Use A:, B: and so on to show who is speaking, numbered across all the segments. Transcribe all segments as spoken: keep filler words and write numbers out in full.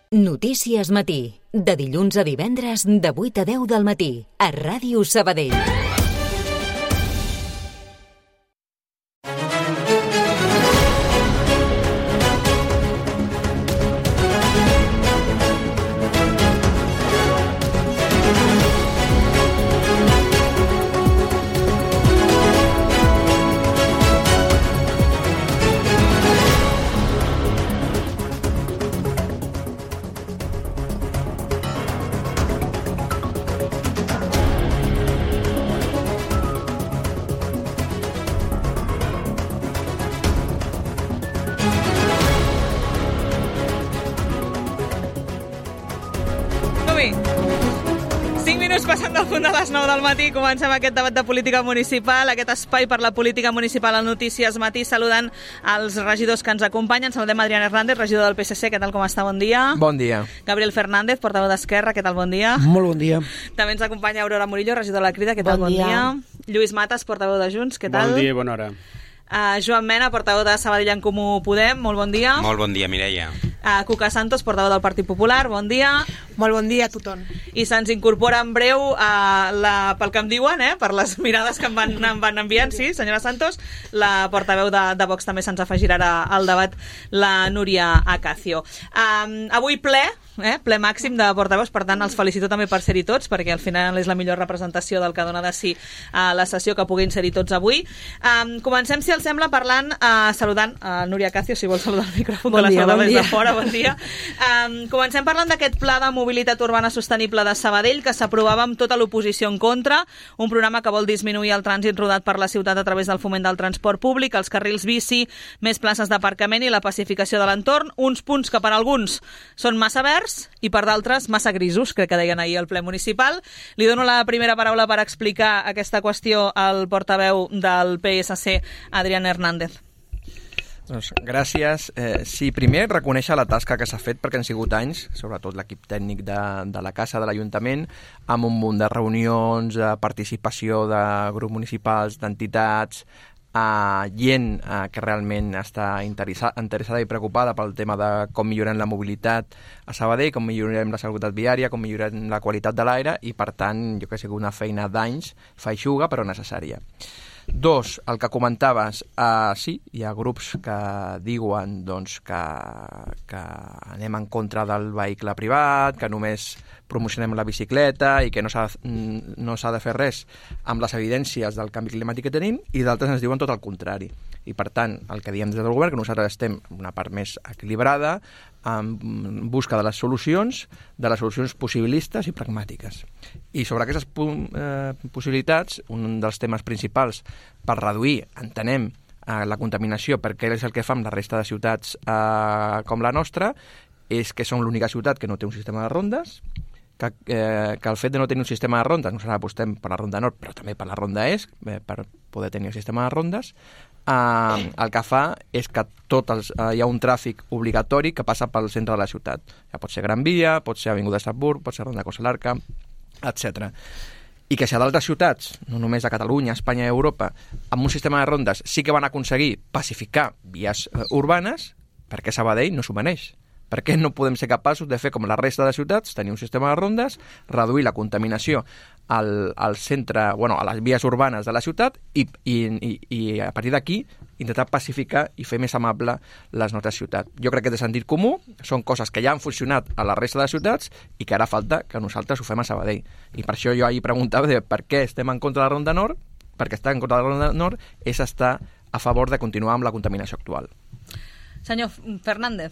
A: Notícies Matí, de dilluns a divendres de vuit a deu del matí, a Ràdio Sabadell.
B: Del matí, comencem aquest debat de política municipal, aquest espai per la política municipal al Notícies Matí, saludant els regidors que ens acompanyen. Saludem Adrián Hernández, regidor del P S C, què tal, com està? Bon dia.
C: Bon dia.
B: Gabriel Fernández, portaveu d'Esquerra, què tal, bon dia.
D: Molt bon dia.
B: També ens acompanya Aurora Murillo, regidor de la Crida, què tal, bon, bon dia. dia. Lluís Matas, portaveu de Junts, què tal?
E: Bon dia i bona hora.
B: Uh, Joan Mena, portaveu de Sabadell en Comú Podem, molt bon dia.
F: Molt bon dia, Mireia.
B: Uh, Cuca Santos, portaveu del Partit Popular, bon dia.
G: Molt bon dia a tothom.
B: I se'ns incorpora en breu, uh, la, pel que em diuen, eh, per les mirades que em van, em van enviant, sí, senyora Santos, la portaveu de, de Vox també se'ns afegirà al debat, la Núria Acacio. Um, avui ple, eh, ple màxim de portaveus, per tant els felicito també per ser-hi tots, perquè al final és la millor representació del que dona de si a la sessió que puguin ser-hi tots avui. Um, comencem, si els sembla, parlant, uh, saludant a uh, Núria Acacio, si vol saludar el micròfon, bon que dia, la saludem bon des de fora, bon dia. Um, comencem parlant d'aquest pla de mobilitat urbana sostenible de Sabadell, que s'aprovava amb tota l'oposició en contra, un programa que vol disminuir el trànsit rodat per la ciutat a través del foment del transport públic, els carrils bici, més places d'aparcament i la pacificació de l'entorn, uns punts que per alguns són massa verds i per d'altres massa grisos, crec que deien ahir al ple municipal. Li dono la primera paraula per explicar aquesta qüestió al portaveu del P S C, Adrián Hernández.
C: Doncs gràcies. Eh, sí, primer reconèixer la tasca que s'ha fet, perquè han sigut anys, sobretot l'equip tècnic de, de la Casa de l'Ajuntament, amb un munt de reunions, de participació de grups municipals, d'entitats, eh, gent eh, que realment està interessa, interessada i preocupada pel tema de com millorem la mobilitat a Sabadell, com millorem la seguretat viària, com millorem la qualitat de l'aire, i per tant jo crec que ha sigut una feina d'anys, feixuga però necessària. Dos, el que comentaves, uh, sí, hi ha grups que diuen doncs, que, que anem en contra del vehicle privat, que només promocionem la bicicleta i que no s'ha, no s'ha de fer res amb les evidències del canvi climàtic que tenim, i d'altres ens diuen tot el contrari. I per tant, el que diem des del govern, que nosaltres estem en una part més equilibrada, en busca de les solucions, de les solucions possibilistes i pragmàtiques. I sobre aquestes eh, possibilitats, un dels temes principals per reduir, entenem, eh, la contaminació, perquè és el que fa amb la resta de ciutats eh, com la nostra, és que som l'única ciutat que no té un sistema de rondes, que, eh, que el fet de no tenir un sistema de rondes, nosaltres apostem per la ronda nord, però també per la ronda est, eh, per poder tenir el sistema de rondes, eh, el que fa és que tot els, eh, hi ha un tràfic obligatori que passa pel centre de la ciutat. Ja pot ser Gran Via, pot ser Avinguda Estrasburg, pot ser Ronda Costa Larca, etcètera. I que si a d'altres ciutats, no només a Catalunya, Espanya i Europa, amb un sistema de rondes sí que van aconseguir pacificar vies eh, urbanes, perquè Sabadell no s'ho mereix. Per què no podem ser capaços de fer com la resta de ciutats, tenir un sistema de rondes, reduir la contaminació al, al centre, bueno, a les vies urbanes de la ciutat i, i, i, i a partir d'aquí intentar pacificar i fer més amable les nostres ciutats. Jo crec que de sentit comú són coses que ja han funcionat a la resta de ciutats i que ara falta que nosaltres ho fem a Sabadell. I per això jo ahir preguntava de per què estem en contra de la Ronda Nord, perquè estar en contra de la Ronda Nord és estar a favor de continuar amb la contaminació actual.
B: Senyor Fernández.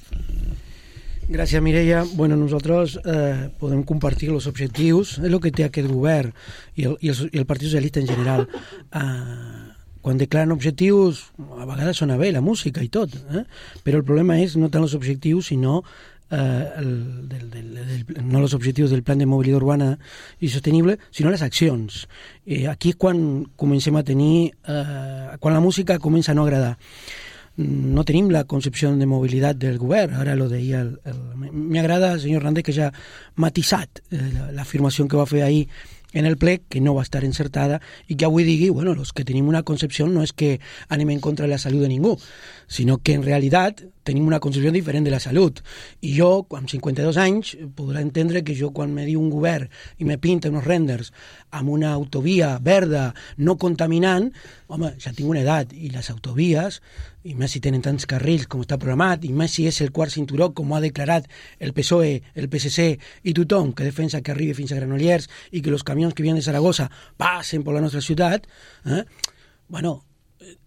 D: Gràcies, Mireia. Bueno, nosotros eh, podem compartir els objectius, és el que té aquest govern i el, i el, i el Partit Socialista en general. Eh, quan declaren objectius, a vegades sona bé la música i tot, eh? Però el problema és no tant els objectius, sinó eh, el, del, del, del, no els objectius del Plan de Mobilitat Urbana i Sostenible, sinó les accions. Eh, aquí és quan comencem a tenir, eh, quan la música comença a no agradar. No tenim la concepció de mobilitat del govern, ara lo deia el, el... m'agrada, senyor Hernández, que ja ha matisat eh, l'afirmació que va fer ahir en el ple que no va estar encertada i que avui digui, bueno, los que tenim una concepció no és que anem en contra de la salut de ningú, sinó que en realitat tenim una concepció diferent de la salut. I jo, amb cinquanta-dos anys, podrà entendre que jo, quan me diu un govern i me pinta uns renders amb una autovia verda no contaminant, home, ja tinc una edat, i les autovies, i més si tenen tants carrils com està programat, i més si és el quart cinturó, com ho ha declarat el P S O E, el P S C i tothom que defensa que arribi fins a Granollers i que els camions que vienen de Saragossa passen per la nostra ciutat, eh? bueno,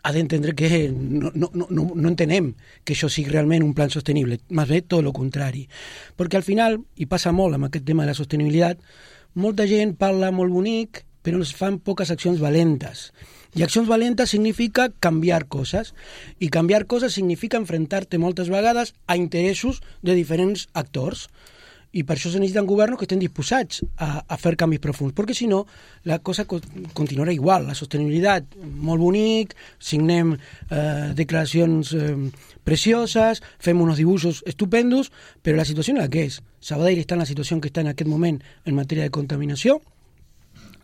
D: ha d'entendre que no, no, no, no entenem que això sigui realment un plan sostenible, més bé tot el contrari. Perquè al final, i passa molt amb aquest tema de la sostenibilitat, molta gent parla molt bonic, però es fan poques accions valentes. I accions valentes significa canviar coses, i canviar coses significa enfrontar-te moltes vegades a interessos de diferents actors. I per això se necessiten governs que estén disposats a, a fer canvis profunds, perquè si no la cosa co continuarà igual, la sostenibilitat molt bonic, signem eh, declaracions eh, precioses, fem uns dibuixos estupendos, però la situació és la que és. Sabadell està en la situació que està en aquest moment en matèria de contaminació,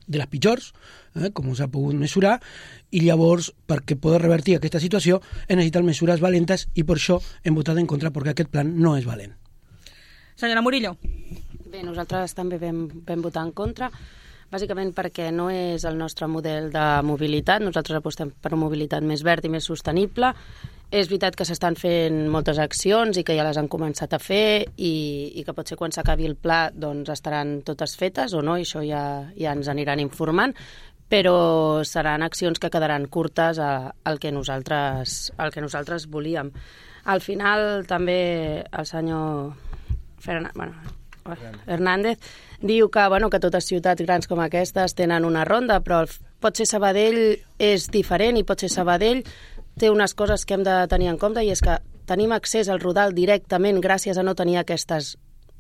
D: de les pitjors, eh, com s'ha pogut mesurar, i llavors, perquè poder revertir aquesta situació, es necessiten mesures valentes i per això hem votat en contra, perquè aquest plan no és valent.
B: Senyora Murillo.
E: Bé, nosaltres també vam, vam votar en contra, bàsicament perquè no és el nostre model de mobilitat. Nosaltres apostem per una mobilitat més verda i més sostenible. És veritat que s'estan fent moltes accions i que ja les han començat a fer i, i que potser quan s'acabi el pla doncs estaran totes fetes o no, i això ja, ja ens aniran informant, però seran accions que quedaran curtes a, al, que nosaltres, al que nosaltres volíem. Al final també el senyor Fernan... bueno, Hernández diu que, bueno, que totes ciutats grans com aquestes tenen una ronda, però potser Sabadell és diferent i potser Sabadell té unes coses que hem de tenir en compte, i és que tenim accés al Rodal directament gràcies a no tenir aquestes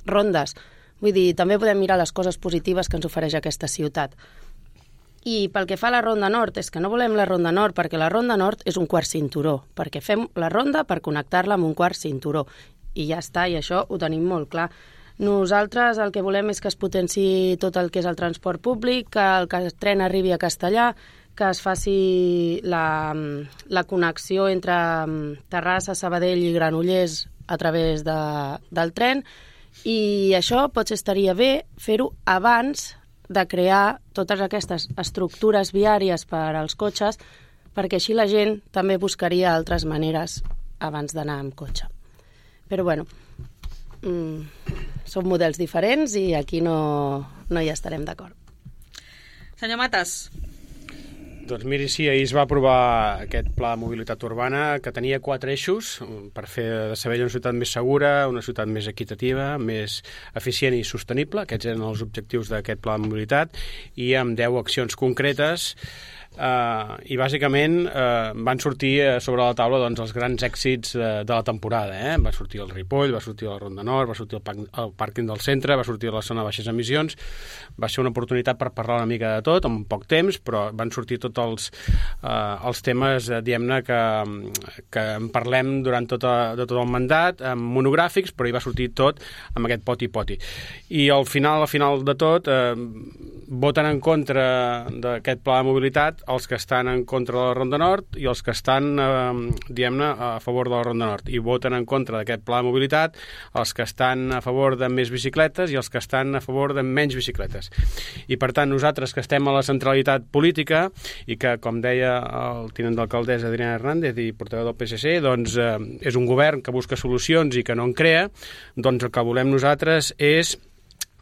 E: rondes. Vull dir, també podem mirar les coses positives que ens ofereix aquesta ciutat. I pel que fa a la Ronda Nord, és que no volem la Ronda Nord perquè la Ronda Nord és un quart cinturó, perquè fem la ronda per connectar-la amb un quart cinturó. I ja està, i això ho tenim molt clar. Nosaltres el que volem és que es potenciï tot el que és el transport públic, que el, que el tren arribi a Castellà, que es faci la, la connexió entre Terrassa, Sabadell i Granollers a través de, del tren, i això potser estaria bé fer-ho abans de crear totes aquestes estructures viàries per als cotxes, perquè així la gent també buscaria altres maneres abans d'anar amb cotxe. Però bueno, mmm, són models diferents i aquí no, no hi estarem d'acord.
B: Senyor Matas.
F: Doncs miri, sí, ahir es va aprovar aquest pla de mobilitat urbana que tenia quatre eixos per fer de Sabadell una ciutat més segura, una ciutat més equitativa, més eficient i sostenible. Aquests eren els objectius d'aquest pla de mobilitat, i amb deu accions concretes. Uh, i bàsicament uh, van sortir uh, sobre la taula doncs, els grans èxits uh, de la temporada, eh? Va sortir el Ripoll, va sortir la Ronda Nord, va sortir el, parc, el pàrquing del centre, va sortir la zona de baixes emissions. Va ser una oportunitat per parlar una mica de tot en poc temps, però van sortir tots els, uh, els temes, uh, diguem-ne, que, que en parlem durant tot, a, de tot el mandat, amb monogràfics, però hi va sortir tot amb aquest poti-poti. I al final, al final de tot, uh, voten en contra d'aquest pla de mobilitat els que estan en contra de la Ronda Nord i els que estan, eh, diguem-ne, a favor de la Ronda Nord. I voten en contra d'aquest pla de mobilitat els que estan a favor de més bicicletes i els que estan a favor de menys bicicletes. I, per tant, nosaltres que estem a la centralitat política i que, com deia el tinent d'alcaldessa Adriana Hernández i portaveu del P S C, doncs eh, és un govern que busca solucions i que no en crea, doncs el que volem nosaltres és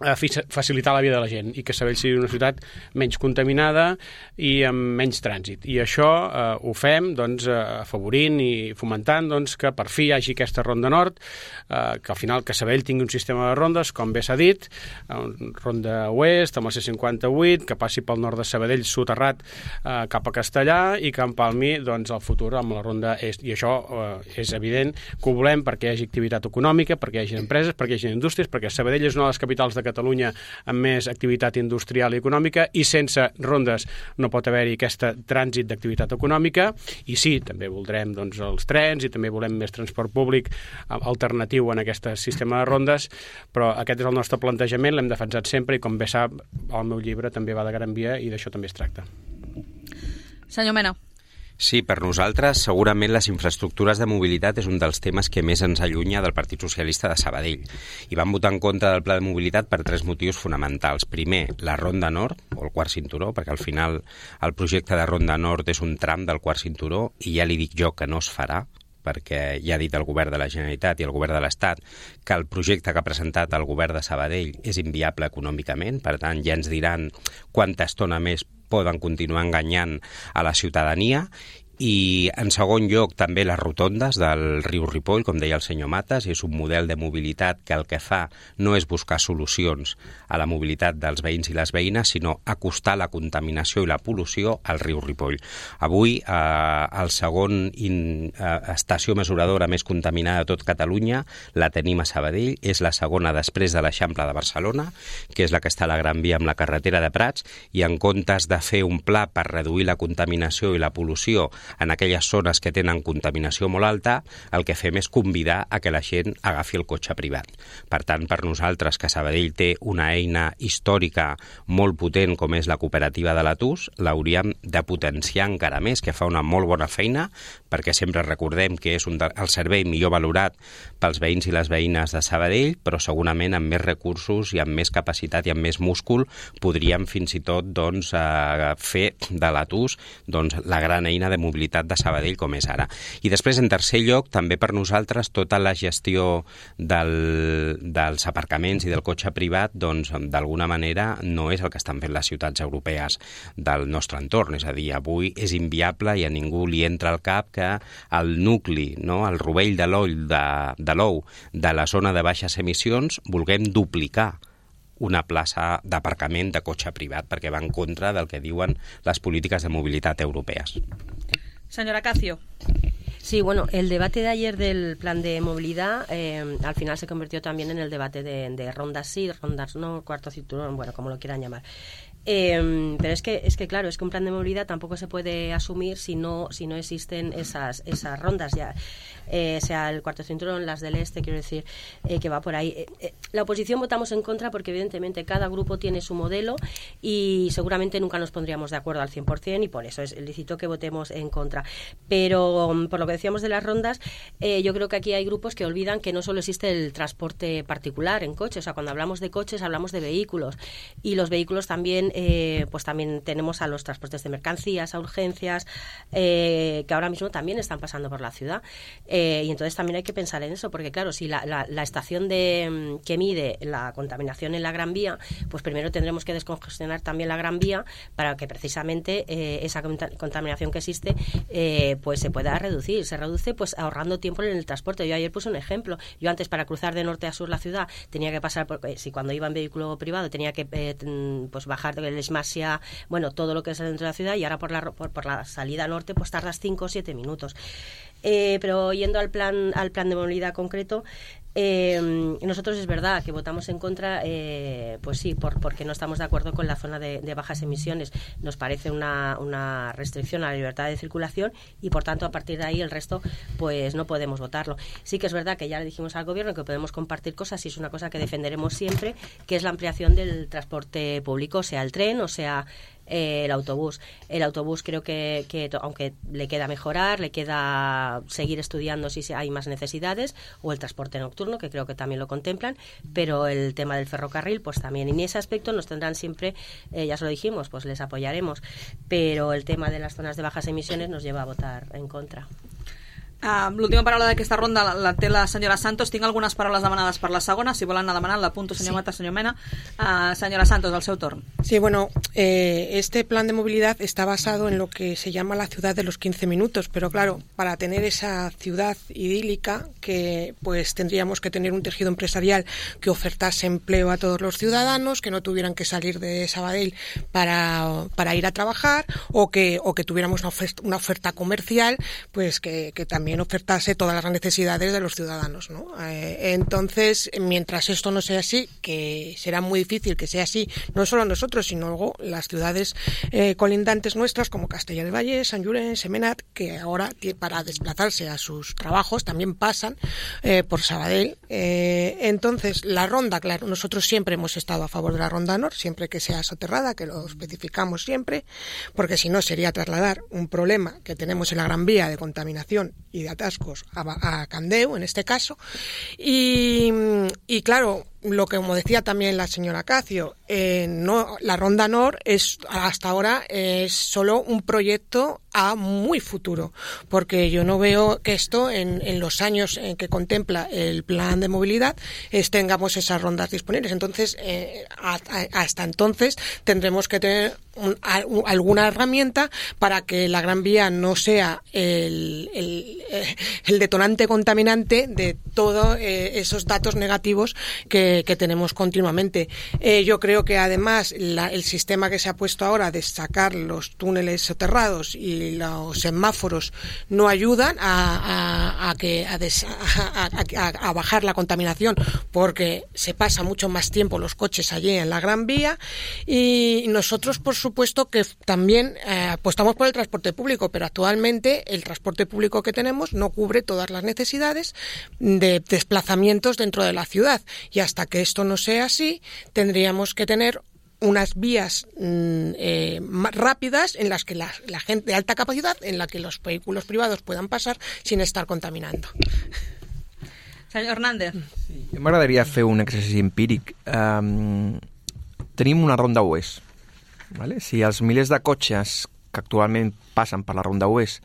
F: facilitar la vida de la gent i que Sabadell sigui una ciutat menys contaminada i amb menys trànsit. I això eh, ho fem doncs, eh, afavorint i fomentant doncs, que per fi hi hagi aquesta Ronda Nord, eh, que al final que Sabadell tingui un sistema de rondes, com bé s'ha dit, eh, Ronda Oest amb la C cinquanta-vuit, que passi pel nord de Sabadell soterrat eh, cap a Castellà i que empalmi doncs, el futur amb la Ronda Est. I això eh, és evident que ho volem perquè hi hagi activitat econòmica, perquè hi hagi empreses, perquè hi hagi indústries, perquè Sabadell és una de les capitals de Catalunya Catalunya amb més activitat industrial i econòmica, i sense rondes no pot haver-hi aquest trànsit d'activitat econòmica. I sí, també voldrem doncs, els trens i també volem més transport públic alternatiu en aquest sistema de rondes, però aquest és el nostre plantejament, l'hem defensat sempre i, com bé sap, el meu llibre també va de Gran Via i d'això també es tracta.
B: Senyor Mena.
G: Sí, per nosaltres segurament les infraestructures de mobilitat és un dels temes que més ens allunya del Partit Socialista de Sabadell. I vam votar en contra del pla de mobilitat per tres motius fonamentals. Primer, la Ronda Nord, o el quart cinturó, perquè al final el projecte de Ronda Nord és un tram del quart cinturó i ja li dic jo que no es farà, perquè ja ha dit el govern de la Generalitat i el govern de l'Estat que el projecte que ha presentat el govern de Sabadell és inviable econòmicament, per tant ja ens diran quanta estona més poden continuar enganyant a la ciutadania. I, en segon lloc, també les rotondes del riu Ripoll, com deia el senyor Matas, és un model de mobilitat que el que fa no és buscar solucions a la mobilitat dels veïns i les veïnes, sinó acostar la contaminació i la pol·lució al riu Ripoll. Avui, eh, el segon in, eh, estació mesuradora més contaminada de tot Catalunya la tenim a Sabadell, és la segona després de l'Eixample de Barcelona, que és la que està a la Gran Via amb la carretera de Prats, i en comptes de fer un pla per reduir la contaminació i la pol·lució en aquelles zones que tenen contaminació molt alta, el que fem és convidar a que la gent agafi el cotxe privat. Per tant, per nosaltres, que Sabadell té una eina històrica molt potent com és la cooperativa de l'Atus, l'hauríem de potenciar encara més, que fa una molt bona feina, perquè sempre recordem que és un de, el servei millor valorat pels veïns i les veïnes de Sabadell, però segurament amb més recursos i amb més capacitat i amb més múscul podríem fins i tot doncs, eh, fer de l'Atus doncs, la gran eina de mobilitat de Sabadell com és ara. I després, en tercer lloc, també per nosaltres tota la gestió del, dels aparcaments i del cotxe privat, doncs, d'alguna manera no és el que estan fent les ciutats europees del nostre entorn. És a dir, avui és inviable i a ningú li entra al cap que el nucli, no, el rovell de l'ou de, de l'ou de la zona de baixes emissions vulguem duplicar una plaça d'aparcament de cotxe privat, perquè va en contra del que diuen les polítiques de mobilitat europees.
B: Señora Cacio.
H: Sí, bueno, el debate de ayer del plan de movilidad eh, al final se convirtió también en el debate de, de rondas sí, rondas no, cuarto cinturón, bueno, como lo quieran llamar. Eh, pero es que, es que claro, es que un plan de movilidad tampoco se puede asumir si no, si no existen esas, esas rondas, ya eh, sea el cuarto cinturón, las del este, quiero decir, eh, que va por ahí. Eh, eh, la oposición votamos en contra porque evidentemente cada grupo tiene su modelo y seguramente nunca nos pondríamos de acuerdo al cien por ciento y por eso es lícito que votemos en contra. Pero um, por lo que decíamos de las rondas, eh, yo creo que aquí hay grupos que olvidan que no solo existe el transporte particular en coches, o sea, cuando hablamos de coches hablamos de vehículos y los vehículos también Eh, pues también tenemos a los transportes de mercancías, a urgencias, eh, que ahora mismo también están pasando por la ciudad. Eh, y entonces también hay que pensar en eso, porque claro, si la, la, la estación de, que mide la contaminación en la Gran Vía, pues primero tendremos que descongestionar también la Gran Vía para que precisamente eh, esa contaminación que existe eh, pues se pueda reducir. Se reduce pues ahorrando tiempo en el transporte. Yo ayer puse un ejemplo. Yo antes para cruzar de norte a sur la ciudad tenía que pasar, por, eh, si cuando iba en vehículo privado tenía que eh, pues bajar de el Esmasia, bueno, todo lo que es dentro de la ciudad y ahora por la, por, por la salida norte pues tardas cinco o siete minutos. Eh, pero yendo al plan, al plan de movilidad concreto, eh, nosotros es verdad que votamos en contra, eh, pues sí, por, porque no estamos de acuerdo con la zona de, de bajas emisiones. Nos parece una, una restricción a la libertad de circulación y por tanto a partir de ahí el resto pues no podemos votarlo. Sí que es verdad que ya le dijimos al gobierno que podemos compartir cosas y es una cosa que defenderemos siempre, que es la ampliación del transporte público, sea el tren o sea Eh, el autobús. El autobús creo que, que aunque le queda mejorar, le queda seguir estudiando si hay más necesidades, o el transporte nocturno, que creo que también lo contemplan, pero el tema del ferrocarril, pues también. Y en ese aspecto nos tendrán siempre, eh, ya se lo dijimos, pues les apoyaremos, pero el tema de las zonas de bajas emisiones nos lleva a votar en contra.
B: Uh, l'última paraula d'aquesta ronda la, la té la senyora Santos. Tinc algunes paraules demanades per la segona, si volen anar demanant l'apunto, senyor sí. Mata, senyor Mena. Uh, senyora Santos, al seu torn.
I: Sí, bueno, eh, este plan de movilidad está basado en lo que se llama la ciudad de los quince minutos, pero claro, para tener esa ciudad idílica, que pues tendríamos que tener un tejido empresarial que ofertase empleo a todos los ciudadanos, que no tuvieran que salir de Sabadell para, para ir a trabajar, o que, o que tuviéramos una oferta, una oferta comercial, pues que, que también también ofertase todas las necesidades de los ciudadanos, ¿no? Eh, entonces, mientras esto no sea así, que será muy difícil que sea así, no solo nosotros, sino luego las ciudades eh, colindantes nuestras, como Castellar del Valle, Sant Llorenç, Semenat, que ahora para desplazarse a sus trabajos también pasan eh, por Sabadell. Eh, entonces, la ronda, claro, nosotros siempre hemos estado a favor de la ronda Nord, siempre que sea soterrada, que lo especificamos siempre, porque si no sería trasladar un problema que tenemos en la Gran Vía de contaminación y de atascos a, a Candeu, en este caso. Y, y claro, lo que, como decía también la señora Cacio, eh, no, la Ronda Nord es hasta ahora es solo un proyecto a muy futuro, porque yo no veo que esto en, en los años en que contempla el plan de movilidad es, tengamos esas rondas disponibles. Entonces, eh, a, a, hasta entonces tendremos que tener un, a, un, alguna herramienta para que la Gran Vía no sea el, el, el detonante contaminante de todos eh, esos datos negativos que, que tenemos continuamente. Eh, yo creo que además la, el sistema que se ha puesto ahora de sacar los túneles soterrados y los semáforos no ayudan a, a, a, que, a, des, a, a, a bajar la contaminación, porque se pasa mucho más tiempo los coches allí en la Gran Vía. Y nosotros, por supuesto, que también eh, apostamos por el transporte público, pero actualmente el transporte público que tenemos no cubre todas las necesidades de desplazamientos dentro de la ciudad, y hasta que esto no sea así tendríamos que tener unas vías eh, más rápidas en las que la, la gente de alta capacidad, en la que los vehículos privados puedan pasar sin estar contaminando.
B: Senyor Hernández.
C: Sí. M'agradaria fer un exercici empíric. Um, tenim una ronda oest. Vale? Si els milers de cotxes que actualment passen per la ronda oest,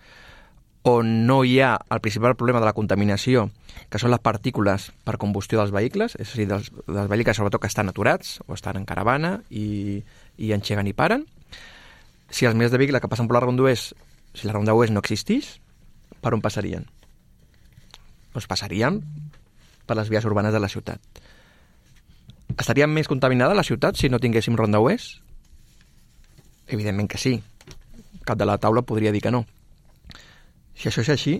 C: on no hi ha el principal problema de la contaminació, que són les partícules per combustió dels vehicles, és a dir, dels, dels vehicles sobretot que estan aturats o estan en caravana i, i engeguen i paren. Si els milers de vehicles que passen per la ronda oest, si la ronda oest no existís, per on passarien? Doncs passarien per les vies urbanes de la ciutat. Estaria més contaminada la ciutat si no tinguéssim ronda oest? Evidentment que sí. Cap de la taula podria dir que no. Si això és així,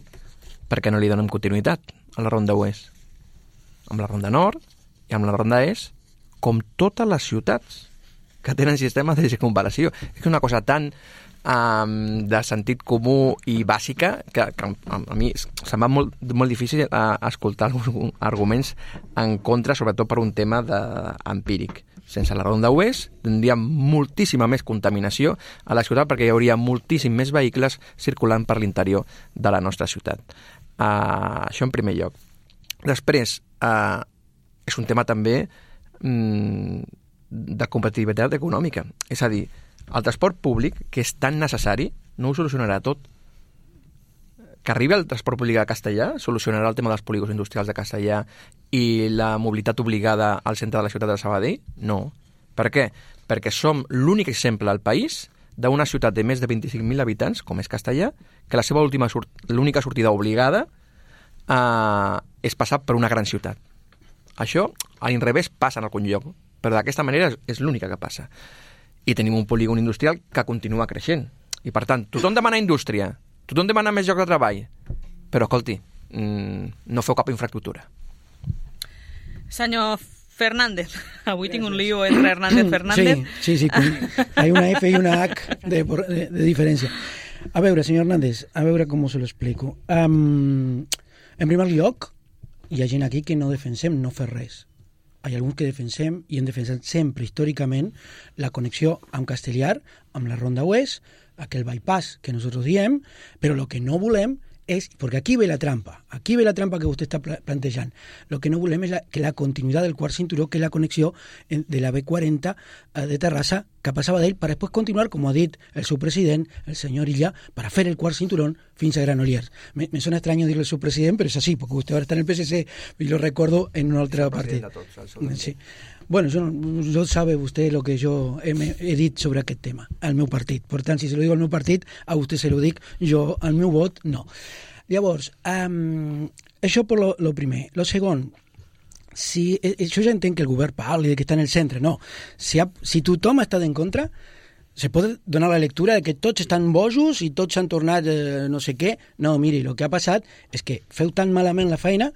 C: per què no li donem continuïtat a la ronda oest? Amb la ronda nord i amb la ronda est, com totes les ciutats que tenen sistemes de circunvalació. És una cosa tan um, de sentit comú i bàsica que, que a, a mi se'm va molt, molt difícil a, a escoltar alguns arguments en contra, sobretot per un tema de, empíric. Sense la ronda oest tindríem moltíssima més contaminació a la ciutat, perquè hi hauria moltíssim més vehicles circulant per l'interior de la nostra ciutat. Uh, això en primer lloc. Després, uh, és un tema també um, de competitivitat econòmica. És a dir, el transport públic, que és tan necessari, no ho solucionarà tot. Que arribi el transport públic a Castellar solucionarà el tema dels polígons industrials de Castellar i la mobilitat obligada al centre de la ciutat de Sabadell? No. Per què? Perquè som l'únic exemple al país d'una ciutat de més de vint-i-cinc mil habitants, com és Castellar, que la seva última sort... l'única sortida obligada eh, és passar per una gran ciutat. Això, a l'inrevés, passa en algun lloc, però d'aquesta manera és, és l'única que passa. I tenim un polígon industrial que continua creixent. I, per tant, tothom demana indústria, tothom demana més llocs de treball, però, escolti, mmm, no feu cap infraestructura.
B: Senyor Fernández, avui tinc un lío entre Hernández y Fernández.
D: Sí, sí, sí, con, hay una F y una H de, de, de diferència. A veure, senyor Hernández, a veure com se lo explico. Um, en primer lloc, hi ha gent aquí que no defensem no fer res. Hi ha alguns que defensem i hem defensat sempre històricament la connexió amb Castellar, amb la Ronda Oest, aquel bypass que nosotros diem, però lo que no volem és, perquè aquí ve la trampa, aquí ve la trampa que vostè està plantejant. Lo que no volem és la, que la continuïtat del quart cinturó, que és la connexió de la B quaranta de Terrassa cap a Sabadell, per després continuar, com ha dit el seu president, el senyor Illa, per fer el quart cinturón fins a Granollers. Me, me suena extraño dir-le al seu president, però és així, perquè vostè ara està en el P S C i lo recordo en un altre partit. Sí. Bueno, yo, yo sabe usted lo que yo he, he dit sobre aquest tema, al meu partit. Per tant, si se lo digo al meu partit, a vostè se lo dic, jo al meu vot, no. Llavors, um, això per lo, lo primer. Lo segon, si, jo ja entenc que el govern parli de que està en el centre, no. Si, ha, si tothom està en contra, se pot donar la lectura de que tots estan bojos i tots s'han tornat eh, no sé què. No, miri, el que ha passat és que feu tan malament la feina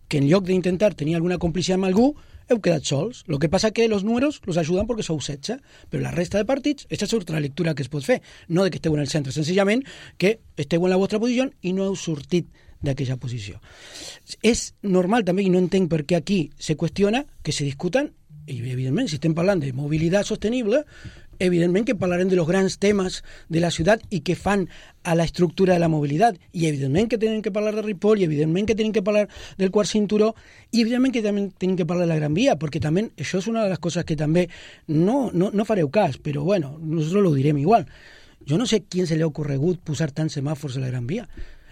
D: que en lloc d'intentar tenir alguna complicitat amb algú, heu quedat sols. Lo que passa que los números los ajuden perquè sou setze, però la resta de partits, aquesta és la lectura que es pot fer, no de que esteu en el centre, senzillament que esteu en la vostra posició i no heu sortit d'aquella posició. És normal també, i no entenc per què aquí se qüestiona, que se discuten, i evidentment, si estem parlant de mobilitat sostenible, evidentment que parlarem de los grans temes de la ciutat i que fan a la estructura de la mobilitat, i evidentment que tenen que parlar de Ripoll, i evidentment que tenen que parlar del quart cinturó, i evidentment que també tenen que parlar de la Gran Via, perquè també això és una de les coses que també no, no, no fareu cas, però bueno, nosaltres lo direm igual. Jo no sé quién se li ha ocorregut posar tants semàfors a la Gran Via.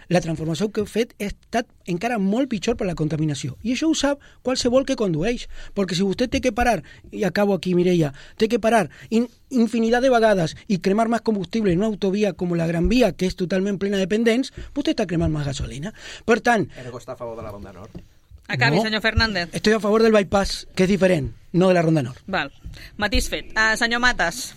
D: La transformació que heu fet ha estat encara molt pitjor per la contaminació. I això ho sap qualsevol que condueix. Perquè si vostè té que parar, i acabo aquí, Mireia, té que parar in, infinitat de vegades i cremar més combustible en una autovia com la Gran Via, que és totalment plena de pendents, vostè està cremant més gasolina. Per tant...
C: Ergo està a favor de la Ronda Nord.
B: Acabi,
D: no,
B: senyor Fernández.
D: Estoy a favor del bypass, que és diferent, no de la Ronda Nord.
B: Val. Matís fet. Uh, senyor Matas.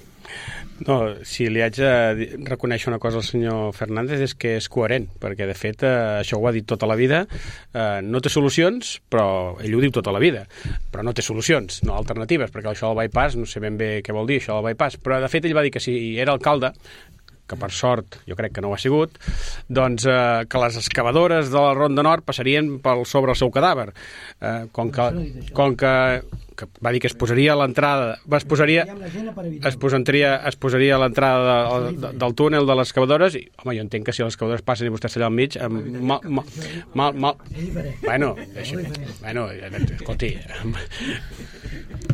F: No, si li haig de reconèixer una cosa al senyor Fernández és que és coherent, perquè de fet eh, això ho ha dit tota la vida, eh, no té solucions, però ell ho diu tota la vida, però no té solucions, no alternatives, perquè això del bypass, no sé ben bé què vol dir això del bypass, però de fet ell va dir que si era alcalde, que per sort jo crec que no ho ha sigut, doncs eh, que les excavadores de la Ronda Nord passarien pel sobre el seu cadàver. Eh, com que, com que, que va dir que es posaria a l'entrada, es posaria, es posaria, es posaria a l'entrada de, de, del túnel de les excavadores, i home, jo entenc que si les excavadores passen i vostè està allà al mig, mal, mal, mal, mal, bueno, deixi, bueno, escolti,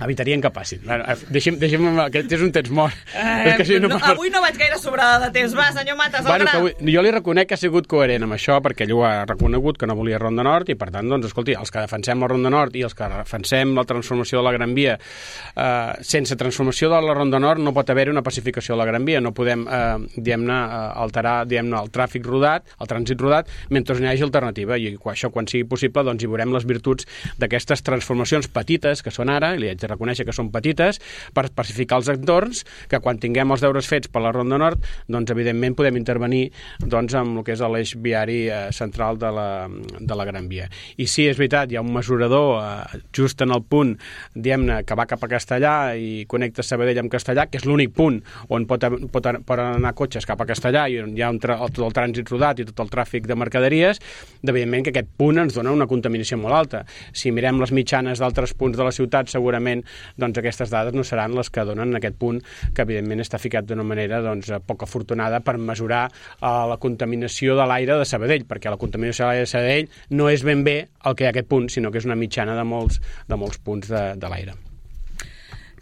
F: evitarien que passin. Deixi'm, deixi'm, aquest és un temps mort.
B: Eh, és que si no, no, avui no vaig gaire sobrada de temps. Va, senyor Matas,
F: bueno, avui, jo li reconec que ha sigut coherent amb això, perquè ell ho ha reconegut que no volia Ronda Nord, i per tant, doncs, escolti, els que defensem la Ronda Nord i els que defensem la transformació de la Gran Via, eh, sense transformació de la Ronda Nord no pot haver-hi una pacificació de la Gran Via, no podem, eh, diguem-ne, alterar, diguem-ne, el tràfic rodat, el trànsit rodat, mentre n'hi hagi alternativa, i això, quan sigui possible, doncs hi veurem les virtuts d'aquestes transformacions petites que són ara, i li haig de reconèixer que són petites, per pacificar els entorns, que quan tinguem els deures fets per la Ronda Nord, doncs evidentment podem intervenir doncs, amb el que és l'eix viari eh, central de la, de la Gran Via. I sí, és veritat, hi ha un mesurador eh, just en el punt, diguem-ne, que va cap a Castellà i connecta Sabadell amb Castellà, que és l'únic punt on pot, pot, pot anar cotxes cap a Castellà i on hi ha un tra tot el trànsit rodat i tot el tràfic de mercaderies, evidentment que aquest punt ens dona una contaminació molt alta. Si mirem les mitjanes d'altres punts de la ciutat, segurament doncs, aquestes dades no seran les que donen en aquest punt, que evidentment està ficat d'una manera doncs, poc afortunada per mesurar uh, la contaminació de l'aire de Sabadell, perquè la contaminació de l'aire de Sabadell no és ben bé el que hi ha aquest punt, sinó que és una mitjana de molts, de molts punts de, de l'aire.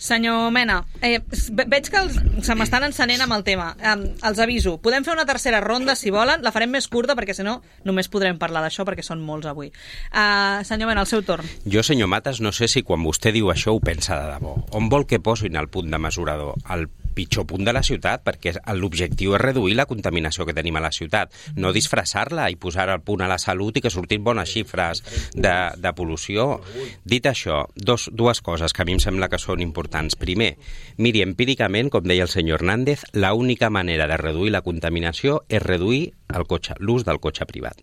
B: Senyor Mena, eh, veig que els, se m'estan encenent amb el tema. Eh, els aviso, podem fer una tercera ronda si volen, la farem més curta perquè si no només podrem parlar d'això perquè són molts avui. Eh, senyor Mena, el seu torn.
G: Jo, senyor Matas, no sé si quan vostè diu això ho pensa de debò. On vol que posin el punt de mesurador? Al pitjor punt de la ciutat, perquè l'objectiu és reduir la contaminació que tenim a la ciutat, no disfressar-la i posar el punt a la salut i que surtin bones xifres de, de pol·lució. Dit això, dos, dues coses que a mi em sembla que són importants. Primer, miri, empíricament, com deia el senyor Hernández, l'única manera de reduir la contaminació és reduir el cotxe, l'ús del cotxe privat.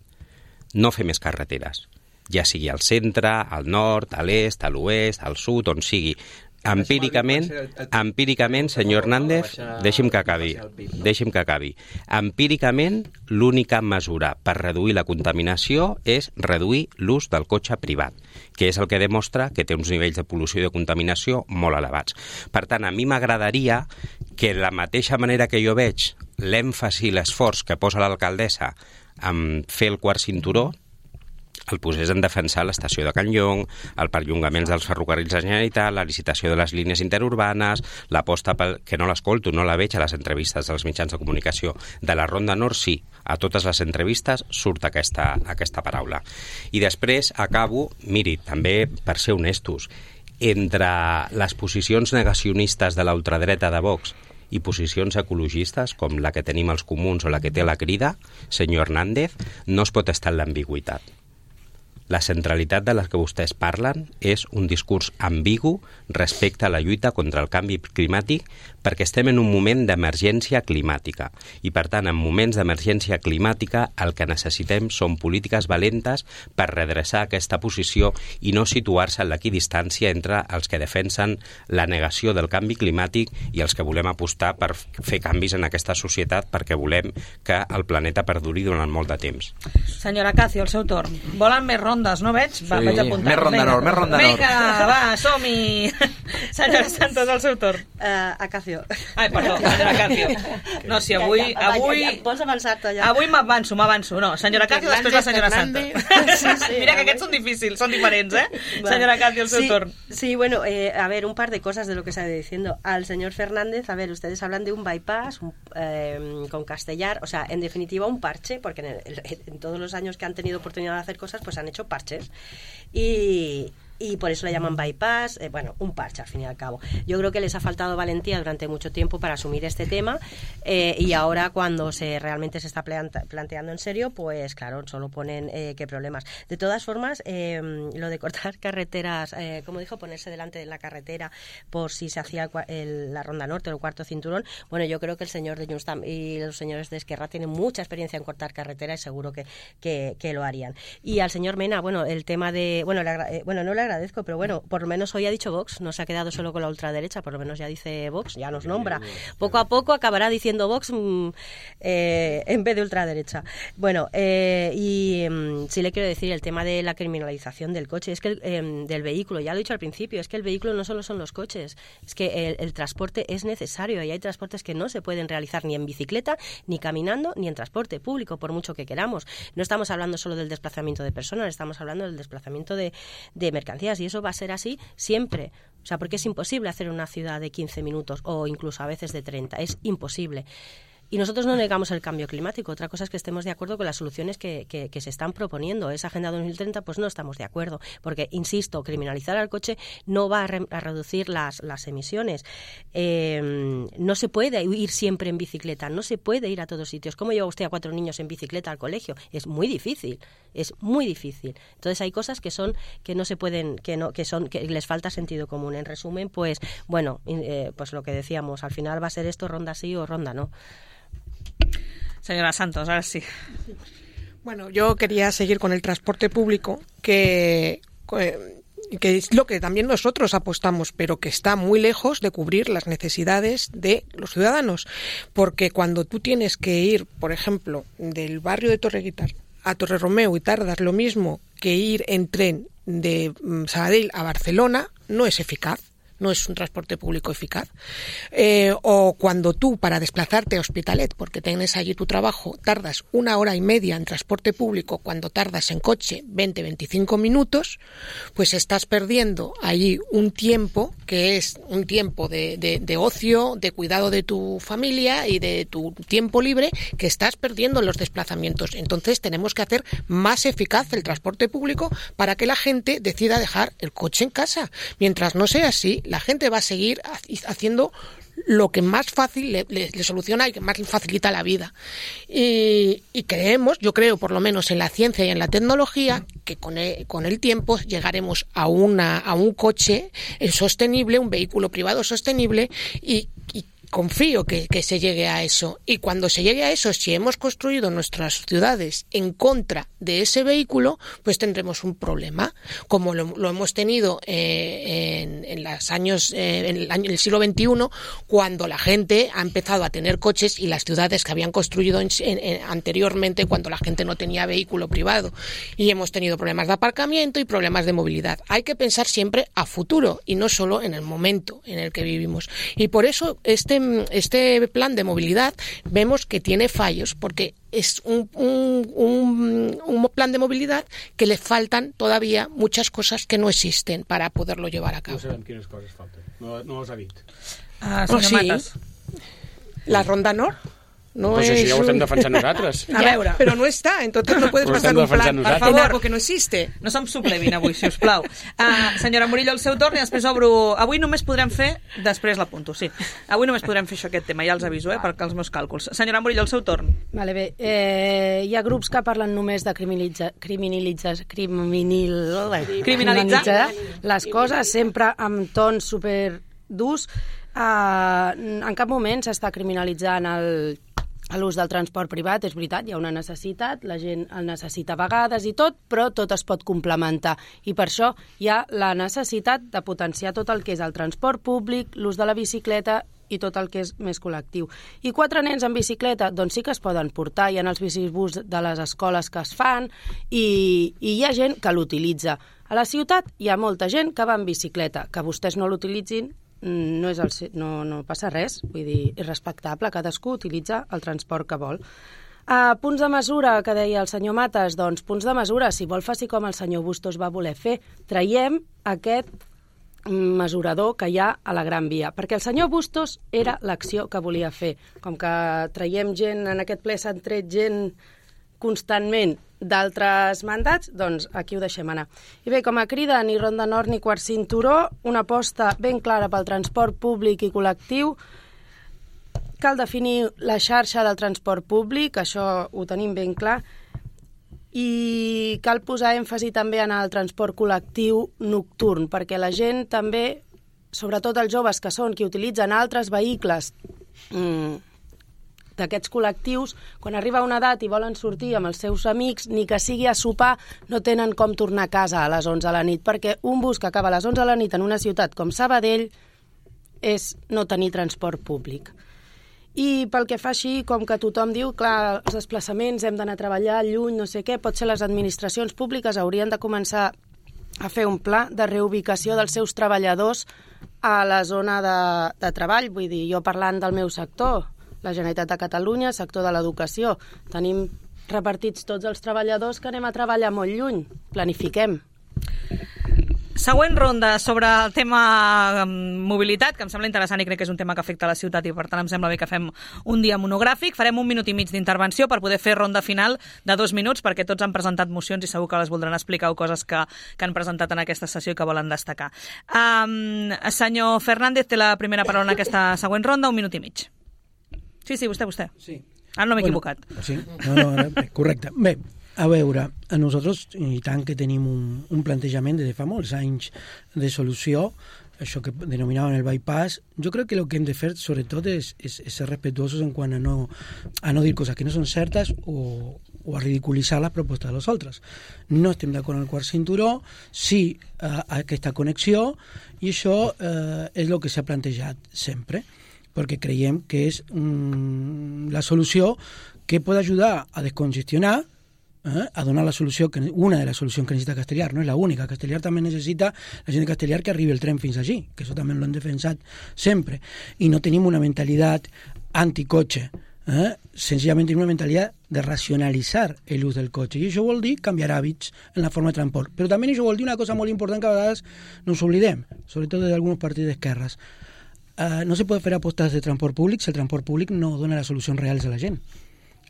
G: No fer més carreteres, ja sigui al centre, al nord, a l'est, a l'oest, al sud, on sigui. Empíricament, empíricament, senyor Hernández, deixi'm que acabi, deixi'm que acabi. Empíricament, l'única mesura per reduir la contaminació és reduir l'ús del cotxe privat, que és el que demostra que té uns nivells de pol·lució i de contaminació molt elevats. Per tant, a mi m'agradaria que de la mateixa manera que jo veig l'èmfasi i l'esforç que posa l'alcaldessa en fer el quart cinturó, el posés en defensar l'estació de Can Llong, el perllongament dels ferrocarrils de Generalitat, la licitació de les línies interurbanes, l'aposta pel... que no l'escolto, no la veig a les entrevistes dels mitjans de comunicació. De la Ronda Nord, sí. A totes les entrevistes surt aquesta, aquesta paraula. I després acabo, miri, també per ser honestos, entre les posicions negacionistes de la ultradreta de Vox i posicions ecologistes, com la que tenim els comuns o la que té la Crida, senyor Hernández, no es pot estar en l'ambigüitat. La centralitat de la que vostès parlen és un discurs ambigu respecte a la lluita contra el canvi climàtic, perquè estem en un moment d'emergència climàtica i, per tant, en moments d'emergència climàtica el que necessitem són polítiques valentes per redreçar aquesta posició i no situar-se en l'equidistància entre els que defensen la negació del canvi climàtic i els que volem apostar per fer canvis en aquesta societat perquè volem que el planeta perduri durant molt de temps.
B: Senyora Cacio, el seu torn. Volen més rondes, no veig? Va,
C: sí,
B: vaig apuntar.
C: Més ronda nord, més ronda nord.
B: Vinga, va, som-hi! Senyora Santos, el seu torn.
H: Uh, Acacio.
B: Ai, perdó, senyora Cacio. No, si avui... avui...
H: Ja, ja, vols avançar-te ja?
B: Avui m'avanço, m'avanço. No, senyora Cacio, després la senyora Santos. Sí, sí, mira que aquests són difícils, són diferents, ¿eh? Vale. Senyora Cacio, el seu
H: sí,
B: torn.
H: Sí, bueno, eh, a ver, un par de cosas de lo que se ha ido diciendo. Al señor Fernández, a ver, ustedes hablan de un bypass un, eh, con Castellar, o sea, en definitiva un parche, porque en, el, en todos los años que han tenido oportunidad de hacer cosas, pues han hecho parches. Y... y por eso le llaman bypass, eh, bueno, un parche al fin y al cabo. Yo creo que les ha faltado valentía durante mucho tiempo para asumir este tema eh, y ahora cuando se realmente se está planta, planteando en serio, pues claro, solo ponen eh, qué problemas. De todas formas, eh, lo de cortar carreteras, eh, como dijo, ponerse delante de la carretera por si se hacía el, el, la Ronda Norte o el cuarto cinturón, bueno, yo creo que el señor de Junts y los señores de Esquerra tienen mucha experiencia en cortar carretera y seguro que, que, que lo harían. Y al señor Mena, bueno, el tema de... bueno, le agra- eh, bueno no le agradezco, pero bueno, por lo menos hoy ha dicho Vox, no se ha quedado solo con la ultraderecha, por lo menos ya dice Vox, ya nos nombra. Poco a poco acabará diciendo Vox mmm, eh, en vez de ultraderecha. Bueno, eh, y mmm, sí le quiero decir el tema de la criminalización del coche, es que el, eh, del vehículo, ya lo he dicho al principio, es que el vehículo no solo son los coches, es que el, el transporte es necesario y hay transportes que no se pueden realizar ni en bicicleta, ni caminando, ni en transporte público, por mucho que queramos. No estamos hablando solo del desplazamiento de personas, estamos hablando del desplazamiento de, de mercancías y eso va a ser así siempre. O sea, porque es imposible hacer una ciudad de quince minutos o incluso a veces de treinta. Es imposible. Y nosotros no negamos el cambio climático. Otra cosa es que estemos de acuerdo con las soluciones que, que, que se están proponiendo. Esa Agenda dos mil treinta, pues no estamos de acuerdo. Porque, insisto, criminalizar al coche no va a, re, a reducir las, las emisiones. Eh, no se puede ir siempre en bicicleta. No se puede ir a todos sitios. ¿Cómo lleva usted a cuatro niños en bicicleta al colegio? Es muy difícil. Es muy difícil. Entonces hay cosas que son que no se pueden, que no, que son que les falta sentido común. En resumen, pues bueno, eh, pues lo que decíamos, al final va a ser esto ronda sí o ronda no.
B: Señora Santos, ahora sí.
I: Bueno, yo quería seguir con el transporte público, que, que es lo que también nosotros apostamos, pero que está muy lejos de cubrir las necesidades de los ciudadanos. Porque cuando tú tienes que ir, por ejemplo, del barrio de Torreguitar a Torreromeu y tardas lo mismo que ir en tren de Sabadell a Barcelona, no es eficaz. No es un transporte público eficaz. Eh, o cuando tú, para desplazarte a Hospitalet, porque tienes allí tu trabajo, tardas una hora y media en transporte público, cuando tardas en coche veinte a veinticinco minutos, pues estás perdiendo allí un tiempo que es un tiempo de, de, de ocio, de cuidado de tu familia y de tu tiempo libre que estás perdiendo en los desplazamientos. Entonces tenemos que hacer más eficaz el transporte público para que la gente decida dejar el coche en casa. Mientras no sea así, la gente va a seguir haciendo lo que más fácil le, le, le soluciona y que más le facilita la vida. Y, y creemos, yo creo por lo menos en la ciencia y en la tecnología, que con el, con el tiempo llegaremos a, una, a un coche sostenible, un vehículo privado sostenible y, y confío que, que se llegue a eso. Y cuando se llegue a eso, si hemos construido nuestras ciudades en contra de ese vehículo, pues tendremos un problema, como lo, lo hemos tenido eh, en, en los años, eh, en, el año, en el siglo veintiuno, cuando la gente ha empezado a tener coches y las ciudades que habían construido en, en, en, anteriormente, cuando la gente no tenía vehículo privado. Y hemos tenido problemas de aparcamiento y problemas de movilidad. Hay que pensar siempre a futuro y no solo en el momento en el que vivimos. Y por eso este Este plan de movilidad vemos que tiene fallos, porque es un, un, un, un plan de movilidad que le faltan todavía muchas cosas que no existen para poderlo llevar a cabo.
F: No sabem quines coses falten, no, no les ha dit.
B: Ah,
I: oh, sí. La Ronda Nord. No
F: pues
I: es
F: això ja ho estem
I: un...
F: defensant nosaltres.
I: A veure, però no està, entonces no puedes
F: Ho
I: pasar
F: estem
I: un plan
F: defensant
I: per
F: nosaltres.
I: favor, algo que no existe.
B: No se'm suplevin avui, si us plau. Uh, senyora Murillo, el seu torn i després obro... Avui només podrem fer... Després l'apunto, sí. Avui només podrem fer això, aquest tema, ja els aviso, eh, perquè els meus càlculs. Senyora Murillo, el seu torn.
E: Vale, bé. Eh, hi ha grups que parlen només de criminalitzar, criminalitzar, criminal, criminalitzar les coses, sempre amb tons super durs. Uh, en cap moment s'està criminalitzant el l'ús del transport privat, és veritat, hi ha una necessitat, la gent el necessita a vegades i tot, però tot es pot complementar. I per això hi ha la necessitat de potenciar tot el que és el transport públic, l'ús de la bicicleta i tot el que és més col·lectiu. I quatre nens en bicicleta, doncs sí que es poden portar, hi ha els bicibús de les escoles que es fan i, i hi ha gent que l'utilitza. A la ciutat hi ha molta gent que va en bicicleta, que vostès no l'utilitzin, no, és el, no, no passa res, vull dir, és respectable, cadascú utilitza el transport que vol. Uh, punts de mesura, que deia el senyor Mates, doncs punts de mesura, si vol faci com el senyor Bustos va voler fer, traiem aquest mesurador que hi ha a la Gran Via, perquè el senyor Bustos era l'acció que volia fer. Com que traiem gent, en aquest ple s'han tret gent constantment d'altres mandats, doncs aquí ho deixem anar. I bé, com a crida, ni Ronda Nord ni quart cinturó, una aposta ben clara pel transport públic i col·lectiu. Cal definir la xarxa del transport públic, això ho tenim ben clar, i cal posar èmfasi també en el transport col·lectiu nocturn, perquè la gent també, sobretot els joves que són qui utilitzen altres vehicles mmm, d'aquests col·lectius, quan arriba una edat i volen sortir amb els seus amics, ni que sigui a sopar, no tenen com tornar a casa a les onze de la nit, perquè un bus que acaba a les onze de la nit en una ciutat com Sabadell és no tenir transport públic. I pel que fa així, com que tothom diu, clar, els desplaçaments, hem d'anar a treballar lluny, no sé què, potser les administracions públiques haurien de començar a fer un pla de reubicació dels seus treballadors a la zona de, de treball. Vull dir, jo parlant del meu sector, la Generalitat de Catalunya, sector de l'educació, tenim repartits tots els treballadors que anem a treballar molt lluny. Planifiquem.
B: Següent ronda sobre el tema mobilitat, que em sembla interessant i crec que és un tema que afecta a la ciutat i per tant em sembla bé que fem un dia monogràfic. Farem un minut i mig d'intervenció per poder fer ronda final de dos minuts perquè tots han presentat mocions i segur que les voldran explicar o coses que, que han presentat en aquesta sessió i que volen destacar. Um, senyor Fernández té la primera paraula en aquesta següent ronda, un minut i mig. Sí, sí, vostè, vostè.
D: Sí.
B: Ara no m'he
D: bueno,
B: equivocat.
D: Sí, no, no, no, correcte. Bé, a veure, a nosaltres, i tant que tenim un, un plantejament des de fa molts anys de solució, això que denominaven el bypass, jo crec que el que hem de fer, sobretot, és, és, és ser respetuosos en quant a no, a no dir coses que no són certes o, o a ridiculitzar les propostes dels altres. No estem d'acord amb el quart cinturó, sí a, a aquesta connexió, i això eh, és el que s'ha plantejat sempre, perquè creiem que és mm, la solució que pot ajudar a descongestionar, eh, a donar la solució, que una de les solucions que necessita Castellar, no és l'única. Castellar també necessita la gent de Castellar que arribi el tren fins allí, que això també l'hem defensat sempre. I no tenim una mentalitat anticotxe, eh? Senzillament tenim una mentalitat de racionalitzar l'ús del cotxe. I això vol dir canviar hàbits en la forma de transport. Però també això vol dir una cosa molt important que a vegades no ens oblidem, sobretot d'alguns partits d'esquerres. Uh, no se pot fer apostes de transport públic si el transport públic no dona les solucions reals a la gent.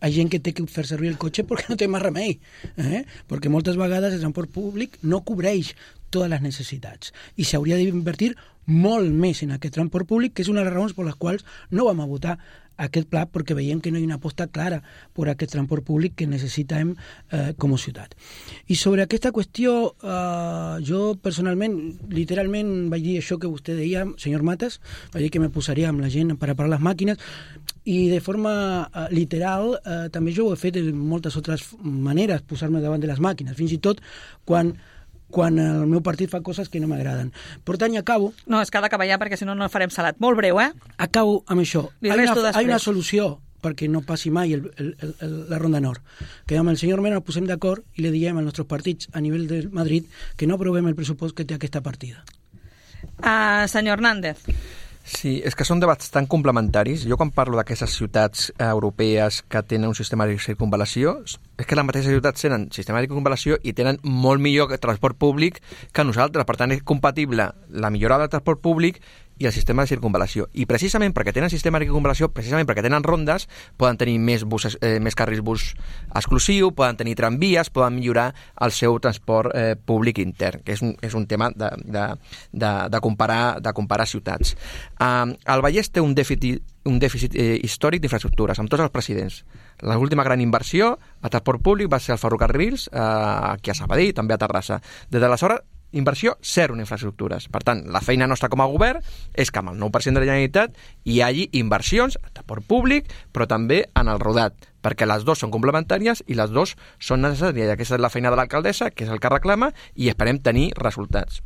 D: Hi ha gent que té que fer servir el cotxe perquè no té més remei, eh? Perquè moltes vegades el transport públic no cobreix totes les necessitats i s'hauria d'invertir molt més en aquest transport públic, que és una de les raons per les quals no vam a votar aquest pla, perquè veiem que no hi ha una aposta clara per aquest transport públic que necessitem eh, com a ciutat. I sobre aquesta qüestió, eh, jo personalment, literalment vaig dir això que vostè deia, senyor Mates, vaig dir que me posaria amb la gent per a parar les màquines, i de forma eh, literal eh, també jo ho he fet de moltes altres maneres, posar-me davant de les màquines, fins i tot quan quan el meu partit fa coses que no m'agraden. Per tant, acabo...
B: No, és que ha d'acabar ja, perquè si no, no farem salat. Molt breu, eh?
D: Acabo amb això.
B: Hi
D: ha una, hi una solució perquè no passi mai el, el, el, la Ronda Nord. Que amb el senyor Mena ens posem d'acord i li diem als nostres partits a nivell de Madrid que no aprovem el pressupost que té aquesta partida.
B: Uh, senyor Hernández.
C: Sí, és que són debats tan complementaris. Jo quan parlo d'aquestes ciutats europees que tenen un sistema de circunvalació, és que les mateixes ciutats tenen sistema de circunvalació i tenen molt millor transport públic que nosaltres. Per tant, és compatible la millora del transport públic i el sistema de circunvalació. I precisament perquè tenen sistema de circunvalació, precisament perquè tenen rondes, poden tenir més, bus, eh, més carrils bus exclusiu, poden tenir tramvies, poden millorar el seu transport eh, públic intern, que és un, és un tema de, de, de, de, comparar, de comparar ciutats. Uh, el Vallès té un dèficit, un dèficit eh, històric d'infraestructures, amb tots els presidents. L'última gran inversió a transport públic va ser el ferrocarrils, eh, aquí a Sabadell, també a Terrassa. Des d'aleshores, inversió zero en infraestructures. Per tant, la feina nostra com a govern és que amb el nou per cent de la Generalitat hi hagi inversions a transport públic, però també en el rodat, perquè les dues són complementàries i les dues són necessàries. Aquesta és la feina de l'alcaldessa, que és el que reclama, i esperem tenir resultats.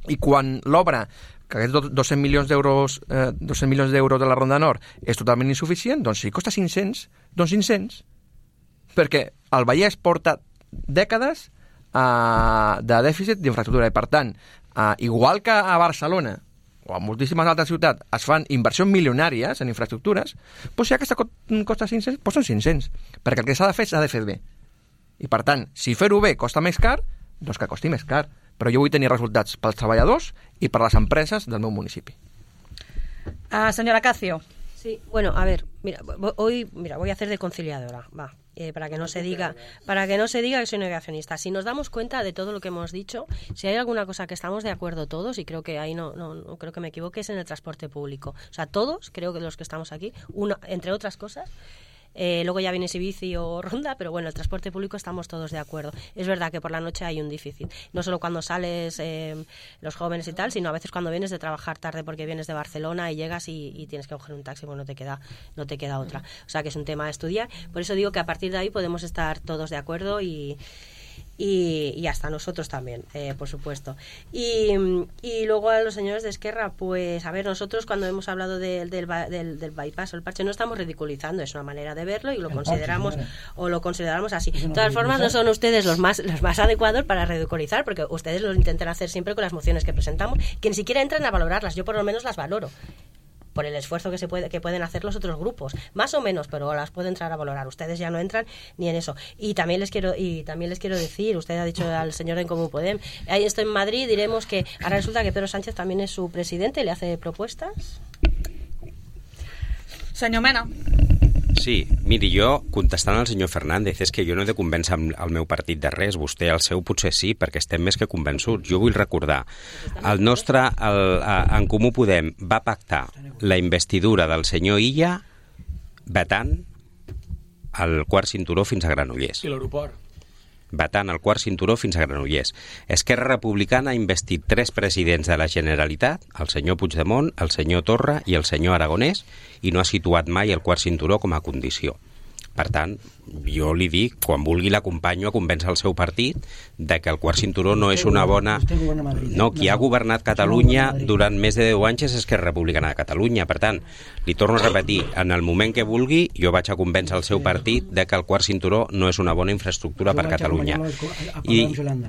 C: I quan l'obra, que aquests dos-cents milions d'euros eh, dos-cents milions d'euros de la Ronda Nord és totalment insuficient, doncs si costa cinc-cents, doncs cinc-cents. Perquè el Vallès porta dècades Uh, de dèficit d'infraestructura i per tant, uh, igual que a Barcelona o a moltíssimes altres ciutats es fan inversions milionàries en infraestructures, doncs si aquesta costa cinc-cents, doncs són cinc-cents, perquè el que s'ha de fer s'ha de fer bé i per tant, si fer-ho bé costa més car, doncs que costi més car, però jo vull tenir resultats pels treballadors i per les empreses del meu municipi.
B: uh, Senyora Cacio.
H: Sí, bueno, a ver, mira, hoy mira, voy a hacer de conciliadora, va. Eh, para que no se diga para que no se diga que soy negacionista. Si nos damos cuenta de todo lo que hemos dicho, si hay alguna cosa que estamos de acuerdo todos, y creo que ahí no, no, no creo que me equivoque, es en el transporte público. O sea, todos, creo que los que estamos aquí, uno, entre otras cosas, Eh, luego ya viene si bici o ronda, pero bueno, el transporte público estamos todos de acuerdo. Es verdad que por la noche hay un déficit, no solo cuando sales eh, los jóvenes y tal, sino a veces cuando vienes de trabajar tarde porque vienes de Barcelona y llegas y, y tienes que coger un taxi, bueno, no te queda, no te queda otra. O sea que es un tema a estudiar. Por eso digo que a partir de ahí podemos estar todos de acuerdo y Y, y hasta nosotros también, eh, por supuesto. Y, y luego a los señores de Esquerra, pues a ver, nosotros cuando hemos hablado de, del, del, del bypass o el parche no estamos ridiculizando, es una manera de verlo y lo el consideramos parche, o lo consideramos así. De todas formas, no son ustedes los más los más adecuados para ridiculizar, porque ustedes lo intentan hacer siempre con las mociones que presentamos, que ni siquiera entran a valorarlas. Yo por lo menos las valoro por el esfuerzo que se puede que pueden hacer los otros grupos, más o menos, pero las puedo entrar a valorar. Ustedes ya no entran ni en eso. Y también les quiero y también les quiero decir, usted ha dicho al señor de Comú Podem, ahí estoy en Madrid, diremos que ahora resulta que Pedro Sánchez también es su presidente, le hace propuestas.
B: Senyor Mena.
G: Sí, miri, jo, contestant al senyor Fernández, és que jo no he de convèncer el meu partit de res, vostè el seu potser sí, perquè estem més que convençuts. Jo vull recordar, el nostre, el, en Comú Podem va pactar la investidura del senyor Illa vetant el quart cinturó fins a Granollers.
F: I l'aeroport.
G: Vetant el quart cinturó fins a Granollers. Esquerra Republicana ha investit tres presidents de la Generalitat, el senyor Puigdemont, el senyor Torra i el senyor Aragonès, i no ha situat mai el quart cinturó com a condició. Per tant, jo li dic, quan vulgui l'acompanyo a convèncer el seu partit de que el quart cinturó no és una bona... No, qui ha governat Catalunya durant més de deu anys és Esquerra Republicana de Catalunya. Per tant, li torno a repetir, en el moment que vulgui, jo vaig a convèncer el seu partit de que el quart cinturó no és una bona infraestructura per Catalunya. I,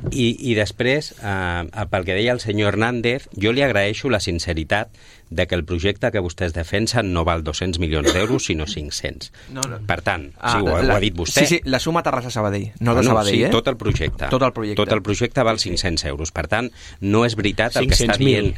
G: i, i després, eh, pel que deia el senyor Hernández, jo li agraeixo la sinceritat de que el projecte que vostès defensen no val dos-cents milions d'euros, sinó cinc-cents. No, no. Per tant,
C: ah,
G: sí, ho,
C: la,
G: ho ha dit vostè.
C: Sí, sí, la suma Terrassa-Sabadell, no de
G: no,
C: Sabadell,
G: sí,
C: eh?
G: tot el projecte.
C: Tot el projecte.
G: Tot el projecte val cinc-cents euros. Per tant, no és veritat el que està dient.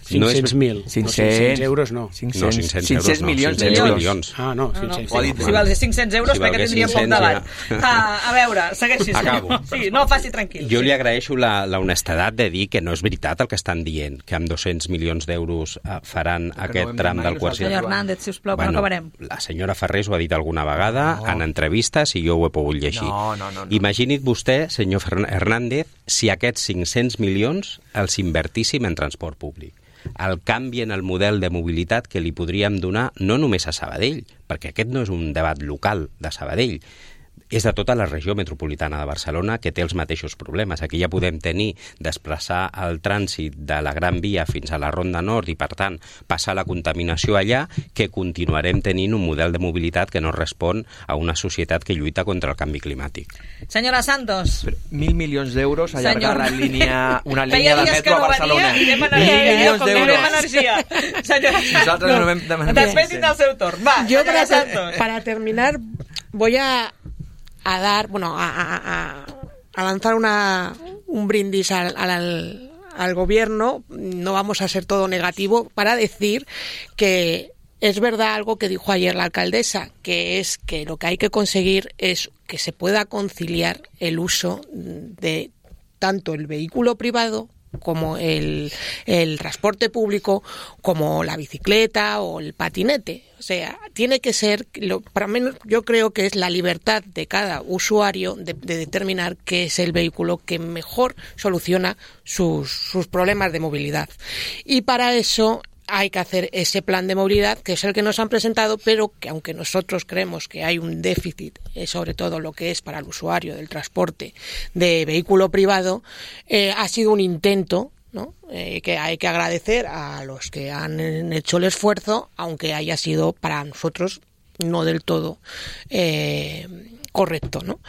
F: cinc-cents mil.
G: No
F: cinc-cents euros no.
G: No, cinc-cents
C: euros no.
G: milions
C: d'euros.
F: Ah, no, cinc-cents.
B: No, no. Si valgués cinc-cents euros, sí, crec que tindríem poc debat. Ja. Uh, a veure, segueixi.
G: Acabo.
B: Sí, no faci tranquil.
G: Jo li agraeixo la, la honestedat de dir que no és veritat el que estan dient, que amb dos-cents milions d'euros uh, faran que aquest no tram del quart cinturó.
B: Senyor Hernández, sisplau, bueno, no acabarem.
G: La senyora Ferrés ho ha dit alguna vegada no. en entrevistes i jo ho he pogut llegir.
C: No, no, no, no.
G: Imagini't vostè, senyor Hernández, si aquests cinc-cents milions els invertíssim en transport públic. El canvi en el model de mobilitat que li podríem donar no només a Sabadell, perquè aquest no és un debat local de Sabadell, és de tota la regió metropolitana de Barcelona que té els mateixos problemes. Aquí ja podem tenir desplaçar el trànsit de la Gran Via fins a la Ronda Nord i, per tant, passar la contaminació allà, que continuarem tenint un model de mobilitat que no respon a una societat que lluita contra el canvi climàtic.
B: Senyora Santos.
C: Mil milions d'euros allargar la línia, una
B: línia
C: de metro a Barcelona.
B: Mil milions d'euros.
C: Nosaltres no vam demanar.
B: Després tindrà el seu torn. Va,
I: Yo para, para terminar voy a a dar, bueno, a, a, a, a lanzar una, un brindis al, al, al gobierno. No vamos a ser todo negativo para decir que es verdad algo que dijo ayer la alcaldesa, que es que lo que hay que conseguir es que se pueda conciliar el uso de tanto el vehículo privado como el, el transporte público, como la bicicleta o el patinete. O sea, tiene que ser, lo, para menos yo creo que es la libertad de cada usuario de, de determinar qué es el vehículo que mejor soluciona sus, sus problemas de movilidad. Y para eso hay que hacer ese plan de movilidad, que es el que nos han presentado, pero que aunque nosotros creemos que hay un déficit, eh, sobre todo lo que es para el usuario del transporte de vehículo privado, eh, ha sido un intento, ¿no? Eh, que hay que agradecer a los que han hecho el esfuerzo, aunque haya sido para nosotros no del todo eh, correcto, ¿no?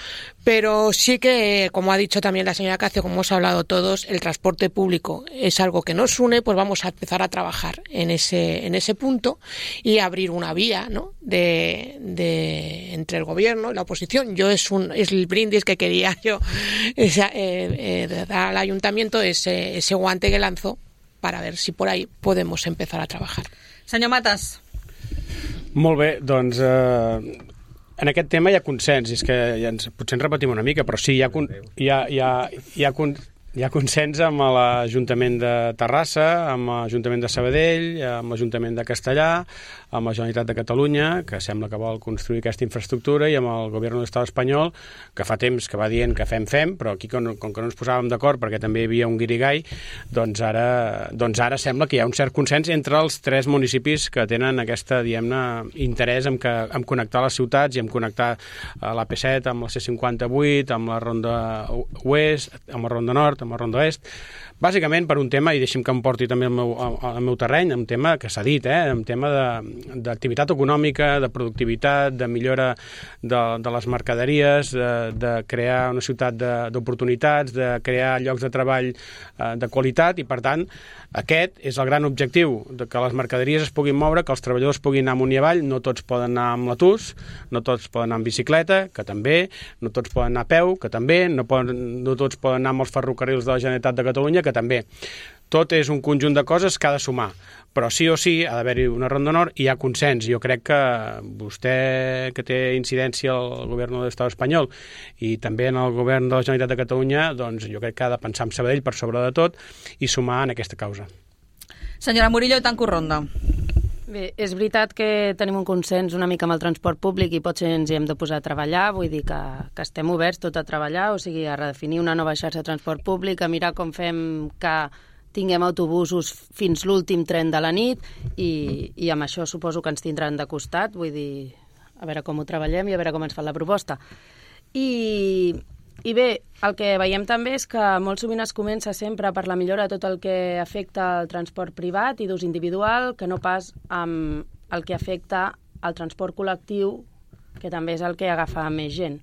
I: Pero sí que, como ha dicho también la señora Cacio, como hemos hablado todos, el transporte público es algo que nos une, pues vamos a empezar a trabajar en ese en ese punto y abrir una vía, ¿no? de, de entre el gobierno y la oposición. Yo es un es el brindis que quería yo esa, eh, eh, dar al ayuntamiento, ese, ese guante que lanzo para ver si por ahí podemos empezar a trabajar.
B: Senyor Matas.
F: Molt bé, doncs eh, en aquest tema hi ha consens, és que ja ens, potser ens repetim una mica, però sí, hi ha, hi ha, hi ha, hi ha, hi ha consens amb l'Ajuntament de Terrassa, amb l'Ajuntament de Sabadell, amb l'Ajuntament de Castellà, amb la Generalitat de Catalunya, que sembla que vol construir aquesta infraestructura, i amb el govern de l'estat espanyol, que fa temps que va dient que fem, fem, però aquí com, com que no ens posàvem d'acord perquè també hi havia un guirigall, doncs ara, doncs ara sembla que hi ha un cert consens entre els tres municipis que tenen aquesta, diguem-ne, interès en, que, en connectar les ciutats i en connectar l'A P set amb la C cinquanta-vuit, amb la Ronda Oest, amb la Ronda Nord, amb la Ronda Est, bàsicament per un tema, i deixi'm que em porti també al meu, al meu terreny, un tema que s'ha dit, eh? un tema d'activitat econòmica, de productivitat, de millora de, de les mercaderies, de, de crear una ciutat d'oportunitats, de, de crear llocs de treball eh, de qualitat, i per tant aquest és el gran objectiu, de que les mercaderies es puguin moure, que els treballadors puguin anar amunt i avall, no tots poden anar amb l'autús, no tots poden anar amb bicicleta, que també, no tots poden anar a peu, que també, no, poden, no tots poden anar amb els ferrocarrils de la Generalitat de Catalunya, que també. Tot és un conjunt de coses que ha de sumar, però sí o sí ha d'haver-hi una Ronda Nord i hi ha consens. Jo crec que vostè, que té incidència al govern de l'estat espanyol i també en el govern de la Generalitat de Catalunya, doncs jo crec que ha de pensar en Sabadell per sobre de tot i sumar en aquesta causa.
B: Senyora Murillo, tanco ronda.
E: Bé, és veritat que tenim un consens una mica amb el transport públic i potser ens hi hem de posar a treballar, vull dir que, que estem oberts tot a treballar, o sigui, a redefinir una nova xarxa de transport públic, a mirar com fem que tinguem autobusos fins l'últim tren de la nit i, i amb això suposo que ens tindran de costat, vull dir, a veure com ho treballem i a veure com ens fan la proposta. I, i bé, el que veiem també és que molt sovint es comença sempre per la millora de tot el que afecta el transport privat i d'ús individual, que no pas amb el que afecta el transport col·lectiu, que també és el que agafa més gent.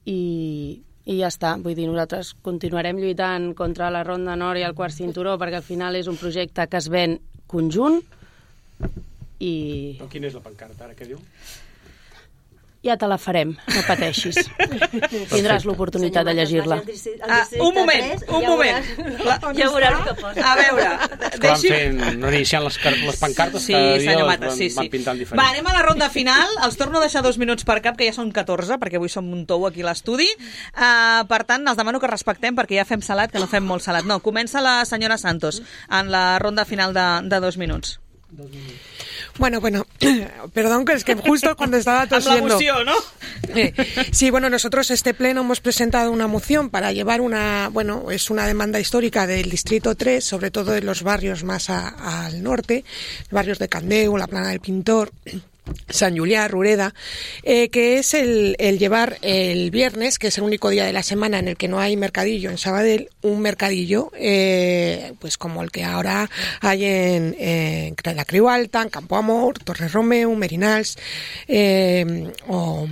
E: I... I ja està, vull dir, nosaltres continuarem lluitant contra la Ronda Nord i el quart cinturó perquè al final és un projecte que es ven conjunt i...
F: Però quina és la pancarta ara, què diu?
E: Ja te la farem, no pateixis. Tindràs l'oportunitat de llegir-la.
B: Ah, un moment, un moment. La,
H: ja veuràs què posa.
B: A veure,
F: deixi... Van fent, no iniciant les, les pancartes,
B: sí,
F: cada dia les
B: Mata,
F: van,
B: sí, sí.
F: van pintant diferent.
B: Va, anem a la ronda final. Els torno a deixar dos minuts per cap, que ja són catorze, perquè avui som un tou aquí a l'estudi. Uh, per tant, els demano que respectem, perquè ja fem salat, que no fem molt salat. No, comença la senyora Santos en la ronda final de, de dos minuts.
I: Dos minuts. Bueno, bueno, perdón, que es que justo cuando estaba tosiendo...
B: La emoción, ¿no?
I: Eh, sí, bueno, nosotros este pleno hemos presentado una moción para llevar una, bueno, es una demanda histórica del Distrito tres, sobre todo de los barrios más a, al norte, barrios de Candeu, la Plana del Pintor, Sant Julià, Rureda, eh, que es el, el llevar el viernes, que es el único día de la semana en el que no hay mercadillo en Sabadell, un mercadillo eh, pues como el que ahora hay en, en la Creu Alta, en Campo Amor, Torre Romeu, Merinals eh, o...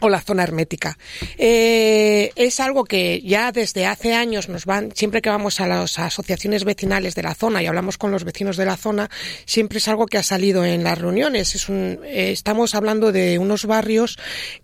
I: o la zona hermética. Eh, es algo que ya desde hace años nos van, siempre que vamos a las asociaciones vecinales de la zona y hablamos con los vecinos de la zona, siempre es algo que ha salido en las reuniones. Es un, eh, estamos hablando de unos barrios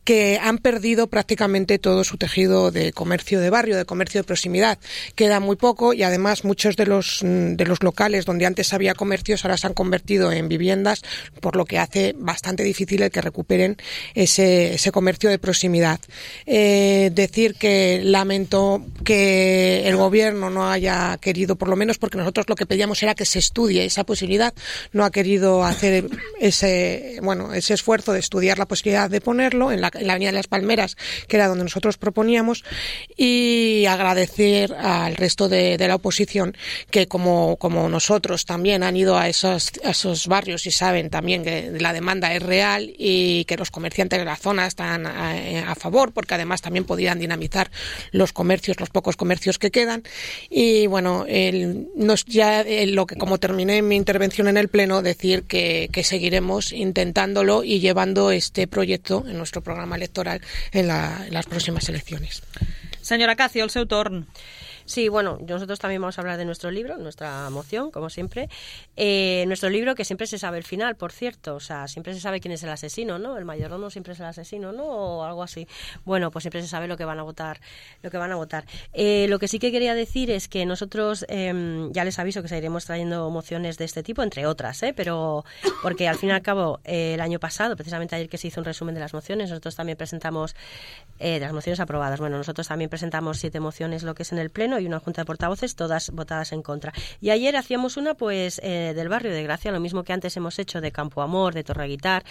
I: que han perdido prácticamente todo su tejido de comercio de barrio, de comercio de proximidad. Queda muy poco y además muchos de los, de los locales donde antes había comercios ahora se han convertido en viviendas, por lo que hace bastante difícil el que recuperen ese, ese comercio de proximidad. Eh, decir que lamento que el gobierno no haya querido, por lo menos porque nosotros lo que pedíamos era que se estudie esa posibilidad, no ha querido hacer ese, bueno, ese esfuerzo de estudiar la posibilidad de ponerlo en la, en la Avenida de las Palmeras, que era donde nosotros proponíamos, y agradecer al resto de, de la oposición que como, como nosotros también han ido a esos, a esos barrios y saben también que la demanda es real y que los comerciantes de la zona están A, a favor, porque además también podían dinamizar los comercios, los pocos comercios que quedan. Y bueno, el, nos, ya el, lo que como terminé mi intervención en el Pleno, decir que, que seguiremos intentándolo y llevando este proyecto en nuestro programa electoral en, la, en las próximas elecciones.
B: Señora Cacio, el seu torn.
H: Sí, bueno, nosotros también vamos a hablar de nuestro libro, nuestra moción, como siempre. Eh, nuestro libro, que siempre se sabe el final, por cierto, o sea, siempre se sabe quién es el asesino, ¿no? El mayordomo siempre es el asesino, ¿no? O algo así. Bueno, pues siempre se sabe lo que van a votar, lo que van a votar. Eh, lo que sí que quería decir es que nosotros, eh, ya les aviso que seguiremos trayendo mociones de este tipo, entre otras, ¿eh? Pero porque al fin y al cabo, eh, el año pasado, precisamente ayer que se hizo un resumen de las mociones, nosotros también presentamos, eh, de las mociones aprobadas, bueno, nosotros también presentamos siete mociones, lo que es en el Pleno, y una junta de portavoces, todas votadas en contra. Y ayer hacíamos una, pues, eh, del barrio de Gracia, lo mismo que antes hemos hecho de Campo Amor, de Torreguitar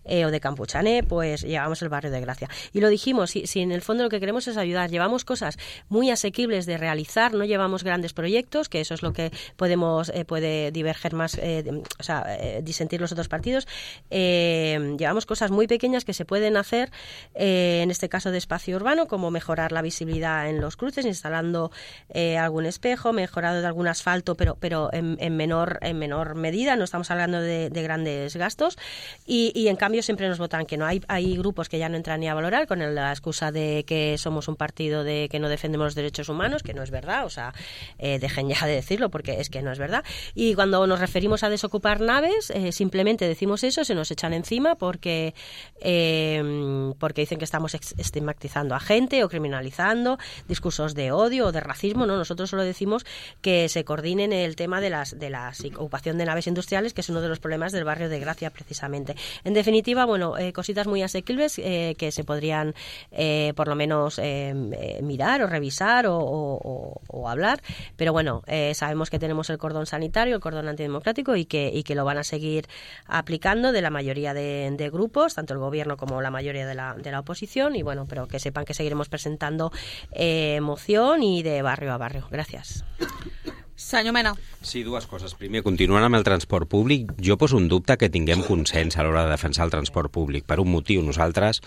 H: eh, o de Campuchané, pues llevamos el barrio de Gracia. Y lo dijimos, si, si en el fondo lo que queremos es ayudar, llevamos cosas muy asequibles de realizar, no llevamos grandes proyectos, que eso es lo que podemos, eh, puede diverger más, eh, o sea, eh, disentir los otros partidos. Eh, llevamos cosas muy pequeñas que se pueden hacer, eh, en este caso de espacio urbano, como mejorar la visibilidad en los cruces, instalando eh, algún espejo, mejorado de algún asfalto, pero pero en, en menor en menor medida, no estamos hablando de, de grandes gastos, y, y en cambio siempre nos votan que no. Hay, hay grupos que ya no entran ni a valorar con la excusa de que somos un partido de que no defendemos los derechos humanos, que no es verdad, o sea, eh, dejen ya de decirlo porque es que no es verdad. Y cuando nos referimos a desocupar naves, eh, simplemente decimos eso, se nos echan encima porque eh, porque dicen que estamos estigmatizando a gente o criminalizando, discursos de odio o de racismo, ¿no? Nosotros solo decimos que se coordinen el tema de las de la ocupación de naves industriales, que es uno de los problemas del barrio de Gracia, precisamente. En definitiva, bueno, eh, cositas muy asequibles eh, que se podrían eh, por lo menos eh, eh, mirar o revisar o, o, o hablar, pero bueno, eh, sabemos que tenemos el cordón sanitario, el cordón antidemocrático y que, y que lo van a seguir aplicando de la mayoría de, de grupos, tanto el gobierno como la mayoría de la, de la oposición, y bueno, pero que sepan que seguiremos presentando eh, moción y de barrio a barrio. Gràcies.
B: Senyor Mena.
G: Sí, dues coses. Primer, continuant amb el transport públic, jo poso un dubte que tinguem consens a l'hora de defensar el transport públic. Per un motiu, nosaltres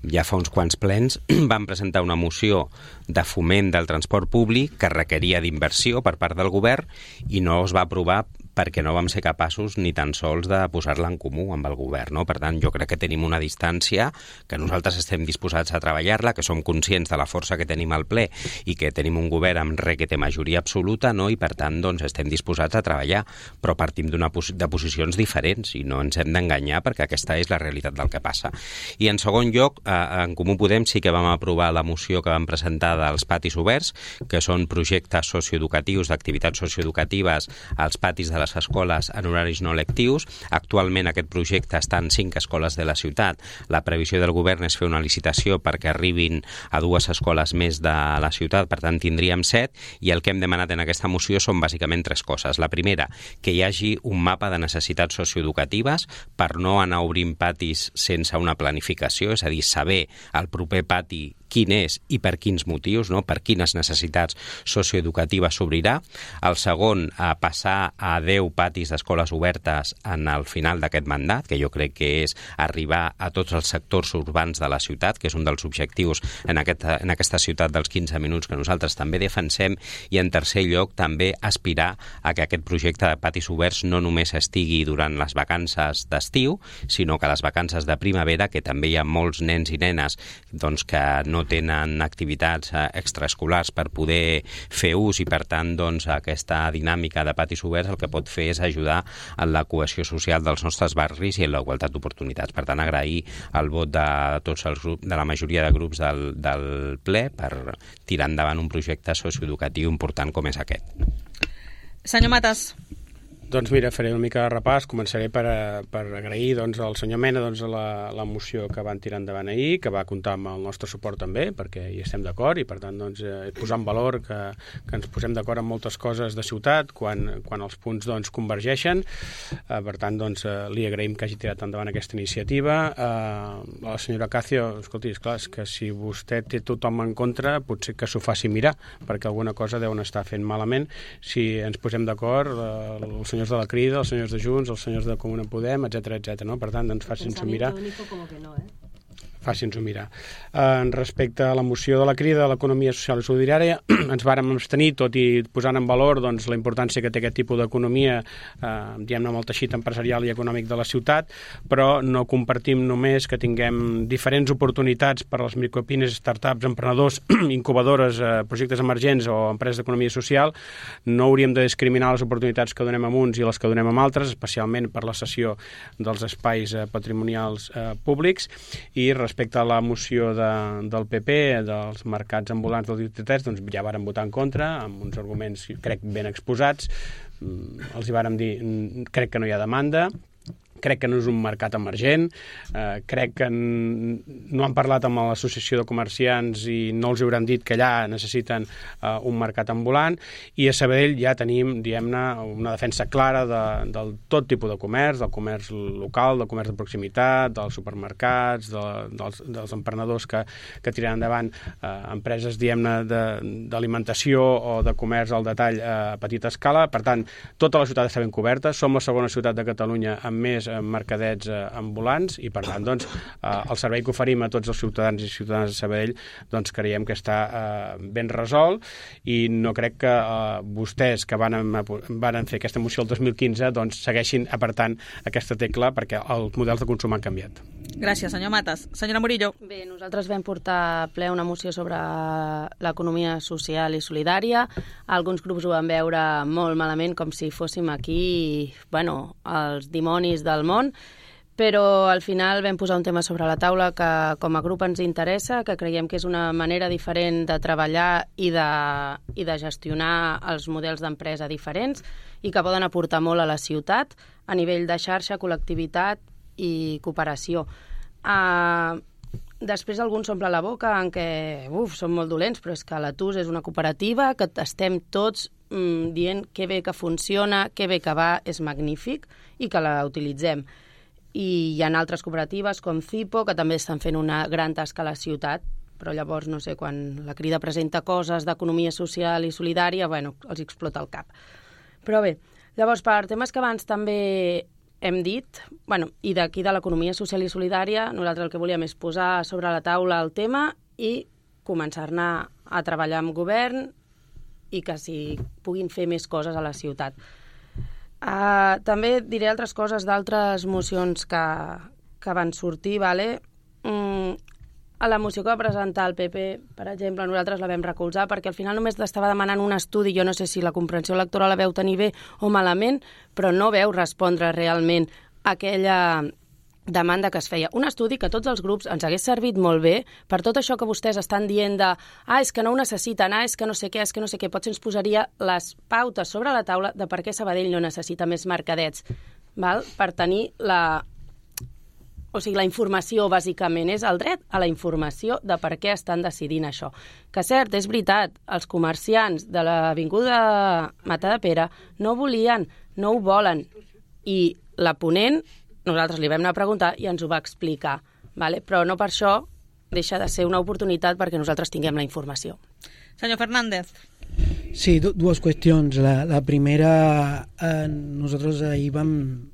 G: ja fa uns quants plens vam presentar una moció de foment del transport públic que requeria d'inversió per part del govern i no es va aprovar perquè no vam ser capaços ni tan sols de posar-la en comú amb el govern, no? Per tant, jo crec que tenim una distància, que nosaltres estem disposats a treballar-la, que som conscients de la força que tenim al ple i que tenim un govern amb re que té majoria absoluta, no? I per tant, doncs, estem disposats a treballar, però partim d'una pos de posicions diferents i no ens hem d'enganyar perquè aquesta és la realitat del que passa. I en segon lloc, eh, en Comú Podem sí que vam aprovar la moció que vam presentar dels patis oberts, que són projectes socioeducatius, d'activitats socioeducatives als patis de les escoles en horaris no lectius. Actualment aquest projecte està en cinc escoles de la ciutat. La previsió del govern és fer una licitació perquè arribin a dues escoles més de la ciutat, per tant tindríem set, i el que hem demanat en aquesta moció són bàsicament tres coses. La primera, que hi hagi un mapa de necessitats socioeducatives per no anar obrint patis sense una planificació, és a dir, saber el proper pati quin és i per quins motius, no? Per quines necessitats socioeducatives s'obrirà. El segon, a passar a deu patis d'escoles obertes en el final d'aquest mandat, que jo crec que és arribar a tots els sectors urbans de la ciutat, que és un dels objectius en aquesta, en aquesta ciutat dels quinze minuts que nosaltres també defensem, i en tercer lloc també aspirar a que aquest projecte de patis oberts no només estigui durant les vacances d'estiu, sinó que les vacances de primavera, que també hi ha molts nens i nenes doncs, que no tenen activitats extraescolars per poder fer ús, i per tant doncs, aquesta dinàmica de patis oberts el que pot fer és ajudar en la cohesió social dels nostres barris i en la igualtat d'oportunitats. Per tant, agrair el vot de tots els grups, de la majoria de grups del, del ple per tirar endavant un projecte socioeducatiu important com és aquest.
B: Senyor Matas.
F: Doncs mira, faré una mica de repàs. Començaré per, per agrair doncs, al senyor Mena doncs, la, la moció que van tirar endavant ahir, que va comptar amb el nostre suport també, perquè hi estem d'acord, i per tant doncs, eh, posar en valor que, que ens posem d'acord en moltes coses de ciutat quan, quan els punts doncs, convergeixen. Eh, per tant, doncs, eh, li agraïm que hagi tirat endavant aquesta iniciativa. Eh, la senyora Cacio, escolti, esclar, és que si vostè té tothom en contra, potser que s'ho faci mirar, perquè alguna cosa deuen estar fent malament. Si ens posem d'acord, eh, els senyors de la Crida, els senyors de Junts, els senyors de Comuna Podem, etcètera, etcètera, no? Per tant, doncs facin-s'ho mirar.
H: Como que no, eh?
F: Facin-s'ho mirar. En respecte a la moció de la Crida de l'economia social i solidària, ens vàrem abstenir, tot i posant en valor doncs, la importància que té aquest tipus d'economia, eh, diguem-ne, amb el teixit empresarial i econòmic de la ciutat, però no compartim només que tinguem diferents oportunitats per a les micropines, startups, emprenedors, incubadores, eh, projectes emergents o empreses d'economia social. No hauríem de discriminar les oportunitats que donem a uns i les que donem a altres, especialment per la cessió dels espais eh, patrimonials eh, públics. I respecte Respecte a la moció de, del P P, dels mercats ambulants del districte, doncs ja vàrem votar en contra, amb uns arguments, crec, ben exposats. Els hi vàrem dir, crec que no hi ha demanda, crec que no és un mercat emergent, eh, crec que no han parlat amb l'associació de comerciants i no els hauran dit que allà necessiten eh, un mercat ambulant, i a Sabadell ja tenim, diguem-ne, una defensa clara de, del tot tipus de comerç, del comerç local, del comerç de proximitat, dels supermercats, de, dels, dels emprenedors que, que tiren endavant eh, empreses, diguem-ne, d'alimentació o de comerç al detall a petita escala. Per tant, tota la ciutat està ben coberta, som la segona ciutat de Catalunya amb més mercadets eh, ambulants, i per tant doncs, eh, el servei que oferim a tots els ciutadans i ciutadanes de Sabadell doncs, creiem que està eh, ben resolt, i no crec que eh, vostès que van, van fer aquesta moció el dos mil quinze doncs, segueixin apartant aquesta tecla, perquè els models de consum han canviat.
B: Gràcies, senyor Matas. Senyora Murillo.
E: Bé, nosaltres vam portar a ple una moció sobre l'economia social i solidària. Alguns grups ho van veure molt malament, com si fóssim aquí, bueno, els dimonis del món, però al final vam posar un tema sobre la taula que com a grup ens interessa, que creiem que és una manera diferent de treballar i de, i de gestionar els models d'empresa diferents, i que poden aportar molt a la ciutat a nivell de xarxa, col·lectivitat i cooperació. Uh, després alguns s'omple la boca en què uf, són molt dolents, però és que l'Atus és una cooperativa que estem tots mm, dient que bé que funciona, que bé que va, és magnífic i que la utilitzem. I hi ha altres cooperatives com Cipo que també estan fent una gran tasca a la ciutat, però llavors, no sé, quan la Crida presenta coses d'economia social i solidària, bueno, els explota el cap. Però bé, llavors per temes que abans també hem dit, bueno, i d'aquí de l'economia social i solidària, nosaltres el que volíem és posar sobre la taula el tema i començar-ne a treballar amb govern i que s'hi puguin fer més coses a la ciutat. Uh, també diré altres coses d'altres mocions que, que van sortir, vale? Mm, a la moció que va presentar el P P, per exemple, nosaltres la vam recolzar perquè al final només l'estava demanant un estudi, jo no sé si la comprensió lectora la veu tenir bé o malament, però no veu respondre realment a aquella demanda que es feia. Un estudi que a tots els grups ens hagués servit molt bé per tot això que vostès estan dient de ah, és que no ho necessiten, ah, és que no sé què, és que no sé què. Potser ens posaria les pautes sobre la taula de per què Sabadell no necessita més mercadets, val? Per tenir la... O sigui, la informació, bàsicament, és el dret a la informació de per què estan decidint això. Que cert, és veritat, els comerciants de l'avinguda Matadepera no volien, no ho volen. I la ponent, nosaltres li vam anar a preguntar i ens ho va explicar. Vale? Però no per això deixa de ser una oportunitat perquè nosaltres tinguem la informació.
B: Senyor Fernández.
D: Sí, dues qüestions. La, la primera, eh, nosaltres ahir vam,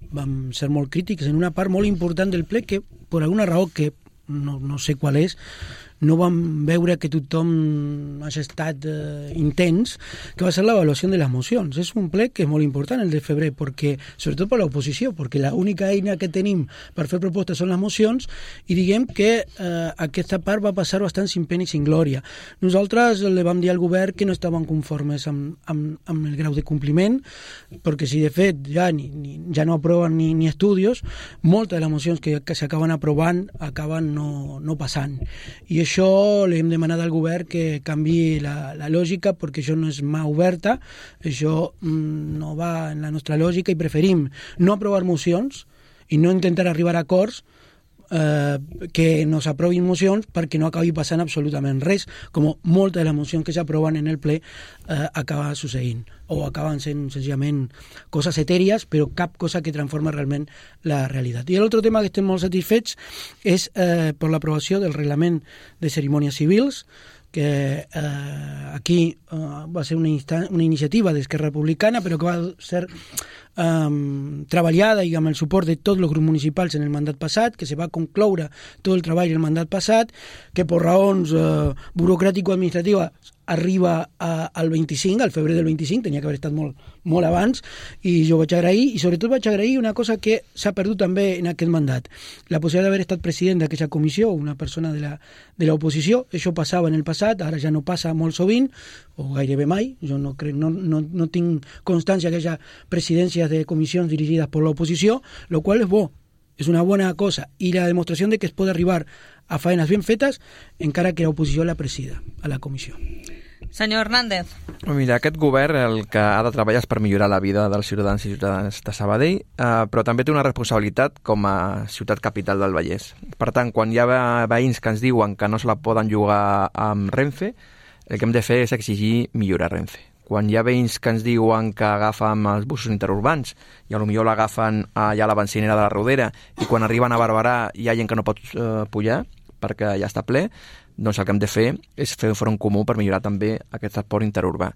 D: vam ser molt crítics en una part molt important del ple que, per alguna raó que no, no sé qual és, no vam veure que tothom hagi estat eh, intens, que va ser l'avaluació de les mocions. És un ple que és molt important, el de febrer, perquè, sobretot per l'oposició, perquè l'única eina que tenim per fer propostes són les mocions, i diguem que eh, aquesta part va passar bastant sin pena i sin glòria. Nosaltres li vam dir al govern que no estaven conformes amb, amb, amb el grau de compliment, perquè si de fet ja, ni, ni, ja no aproven ni, ni estudis, moltes de les mocions que, que s'acaben aprovant acaben no, no passant. I això li hem demanat al govern que canvi la, la lògica, perquè això no és mà oberta, això mm, no va en la nostra lògica, i preferim no aprovar mocions i no intentar arribar a acords eh, que no s'aprovin mocions perquè no acabi passant absolutament res, com moltes de les mocions que s'aproven en el ple eh, acaba succeint, o acaben sent senzillament coses etèries, però cap cosa que transforma realment la realitat. I l'altre tema que estem molt satisfets és eh, per l'aprovació del reglament de cerimònies civils, que eh, aquí eh, va ser una, una iniciativa d'Esquerra Republicana, però que va ser eh, treballada i amb el suport de tots els grups municipals en el mandat passat, que se va concloure tot el treball en el mandat passat, que per raons eh, burocràtico-administratives arriba a, al vint-i-cinc, al febrer del vint-i-cinc, tenia que haver estat molt, molt abans, i jo vaig agrair, i sobretot vaig agrair una cosa que s'ha perdut també en aquest mandat, la possibilitat d'haver estat president d'aquesta comissió, una persona de la, de l'oposició. Això passava en el passat, ara ja no passa molt sovint, o gairebé mai, jo no, crec, no, no, no tinc constància que hi hagi presidències de comissions dirigides per l'oposició, el qual és bo, és una bona cosa, i la demostració de que es pot arribar a faenes ben fetes encara que l'oposició la presida a la comissió.
B: Senyor Hernández.
C: Mira, aquest govern el que ha de treballar és per millorar la vida dels ciutadans i ciutadanes de Sabadell, eh, però també té una responsabilitat com a ciutat capital del Vallès. Per tant, quan hi ha veïns que ens diuen que no se la poden llogar amb Renfe, el que hem de fer és exigir millorar Renfe. Quan hi ha veïns que ens diuen que agafen els busos interurbans i potser l'agafen allà a la bencinera de la Rodera, i quan arriben a Barberà hi ha gent que no pot eh, pujar perquè ja està ple, doncs el que hem de fer és fer un front comú per millorar també aquest transport interurbà.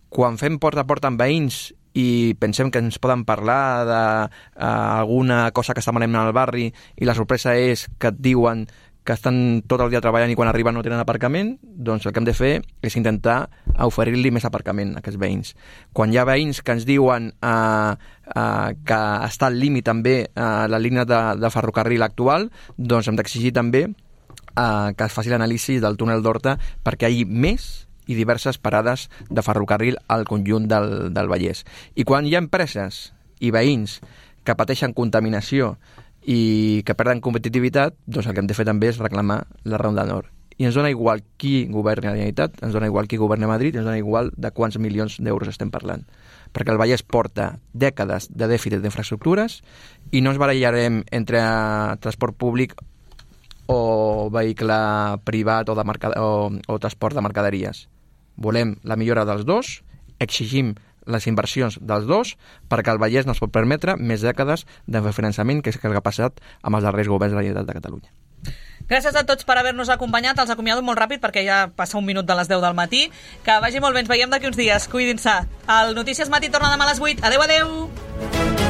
C: Quan fem porta a porta amb veïns i pensem que ens poden parlar d'alguna uh, cosa que està malament al barri i la sorpresa és que et diuen que estan tot el dia treballant i quan arriben no tenen aparcament, doncs el que hem de fer és intentar oferir-li més aparcament a aquests veïns. Quan hi ha veïns que ens diuen uh, uh, que està al límit també uh, la línia de, de ferrocarril actual, doncs hem d'exigir també uh, que es faci l'anàlisi del túnel d'Horta perquè hi hagi més i diverses parades de ferrocarril al conjunt del, del Vallès. I quan hi ha empreses i veïns que pateixen contaminació i que perden competitivitat, doncs el que hem de fer també és reclamar la Ronda Nord. I ens dona igual qui governi a la Generalitat, ens dona igual qui governi a Madrid, ens dona igual de quants milions d'euros estem parlant. Perquè el Vallès porta dècades de dèficit d'infraestructures i no ens barallarem entre transport públic o vehicle privat o, de mercad... o, o transport de mercaderies. Volem la millora dels dos, exigim les inversions dels dos, perquè el Vallès no es pot permetre més dècades de finançament que és el que ha passat amb els darrers governs de la Generalitat de Catalunya.
B: Gràcies a tots per haver-nos acompanyat. Els acomiado molt ràpid perquè ja passa un minut de les deu del matí. Que vagi molt bé, ens veiem d'aquí uns dies. Cuidin-se. El Notícies Matí torna demà a les vuit. Adéu, adéu!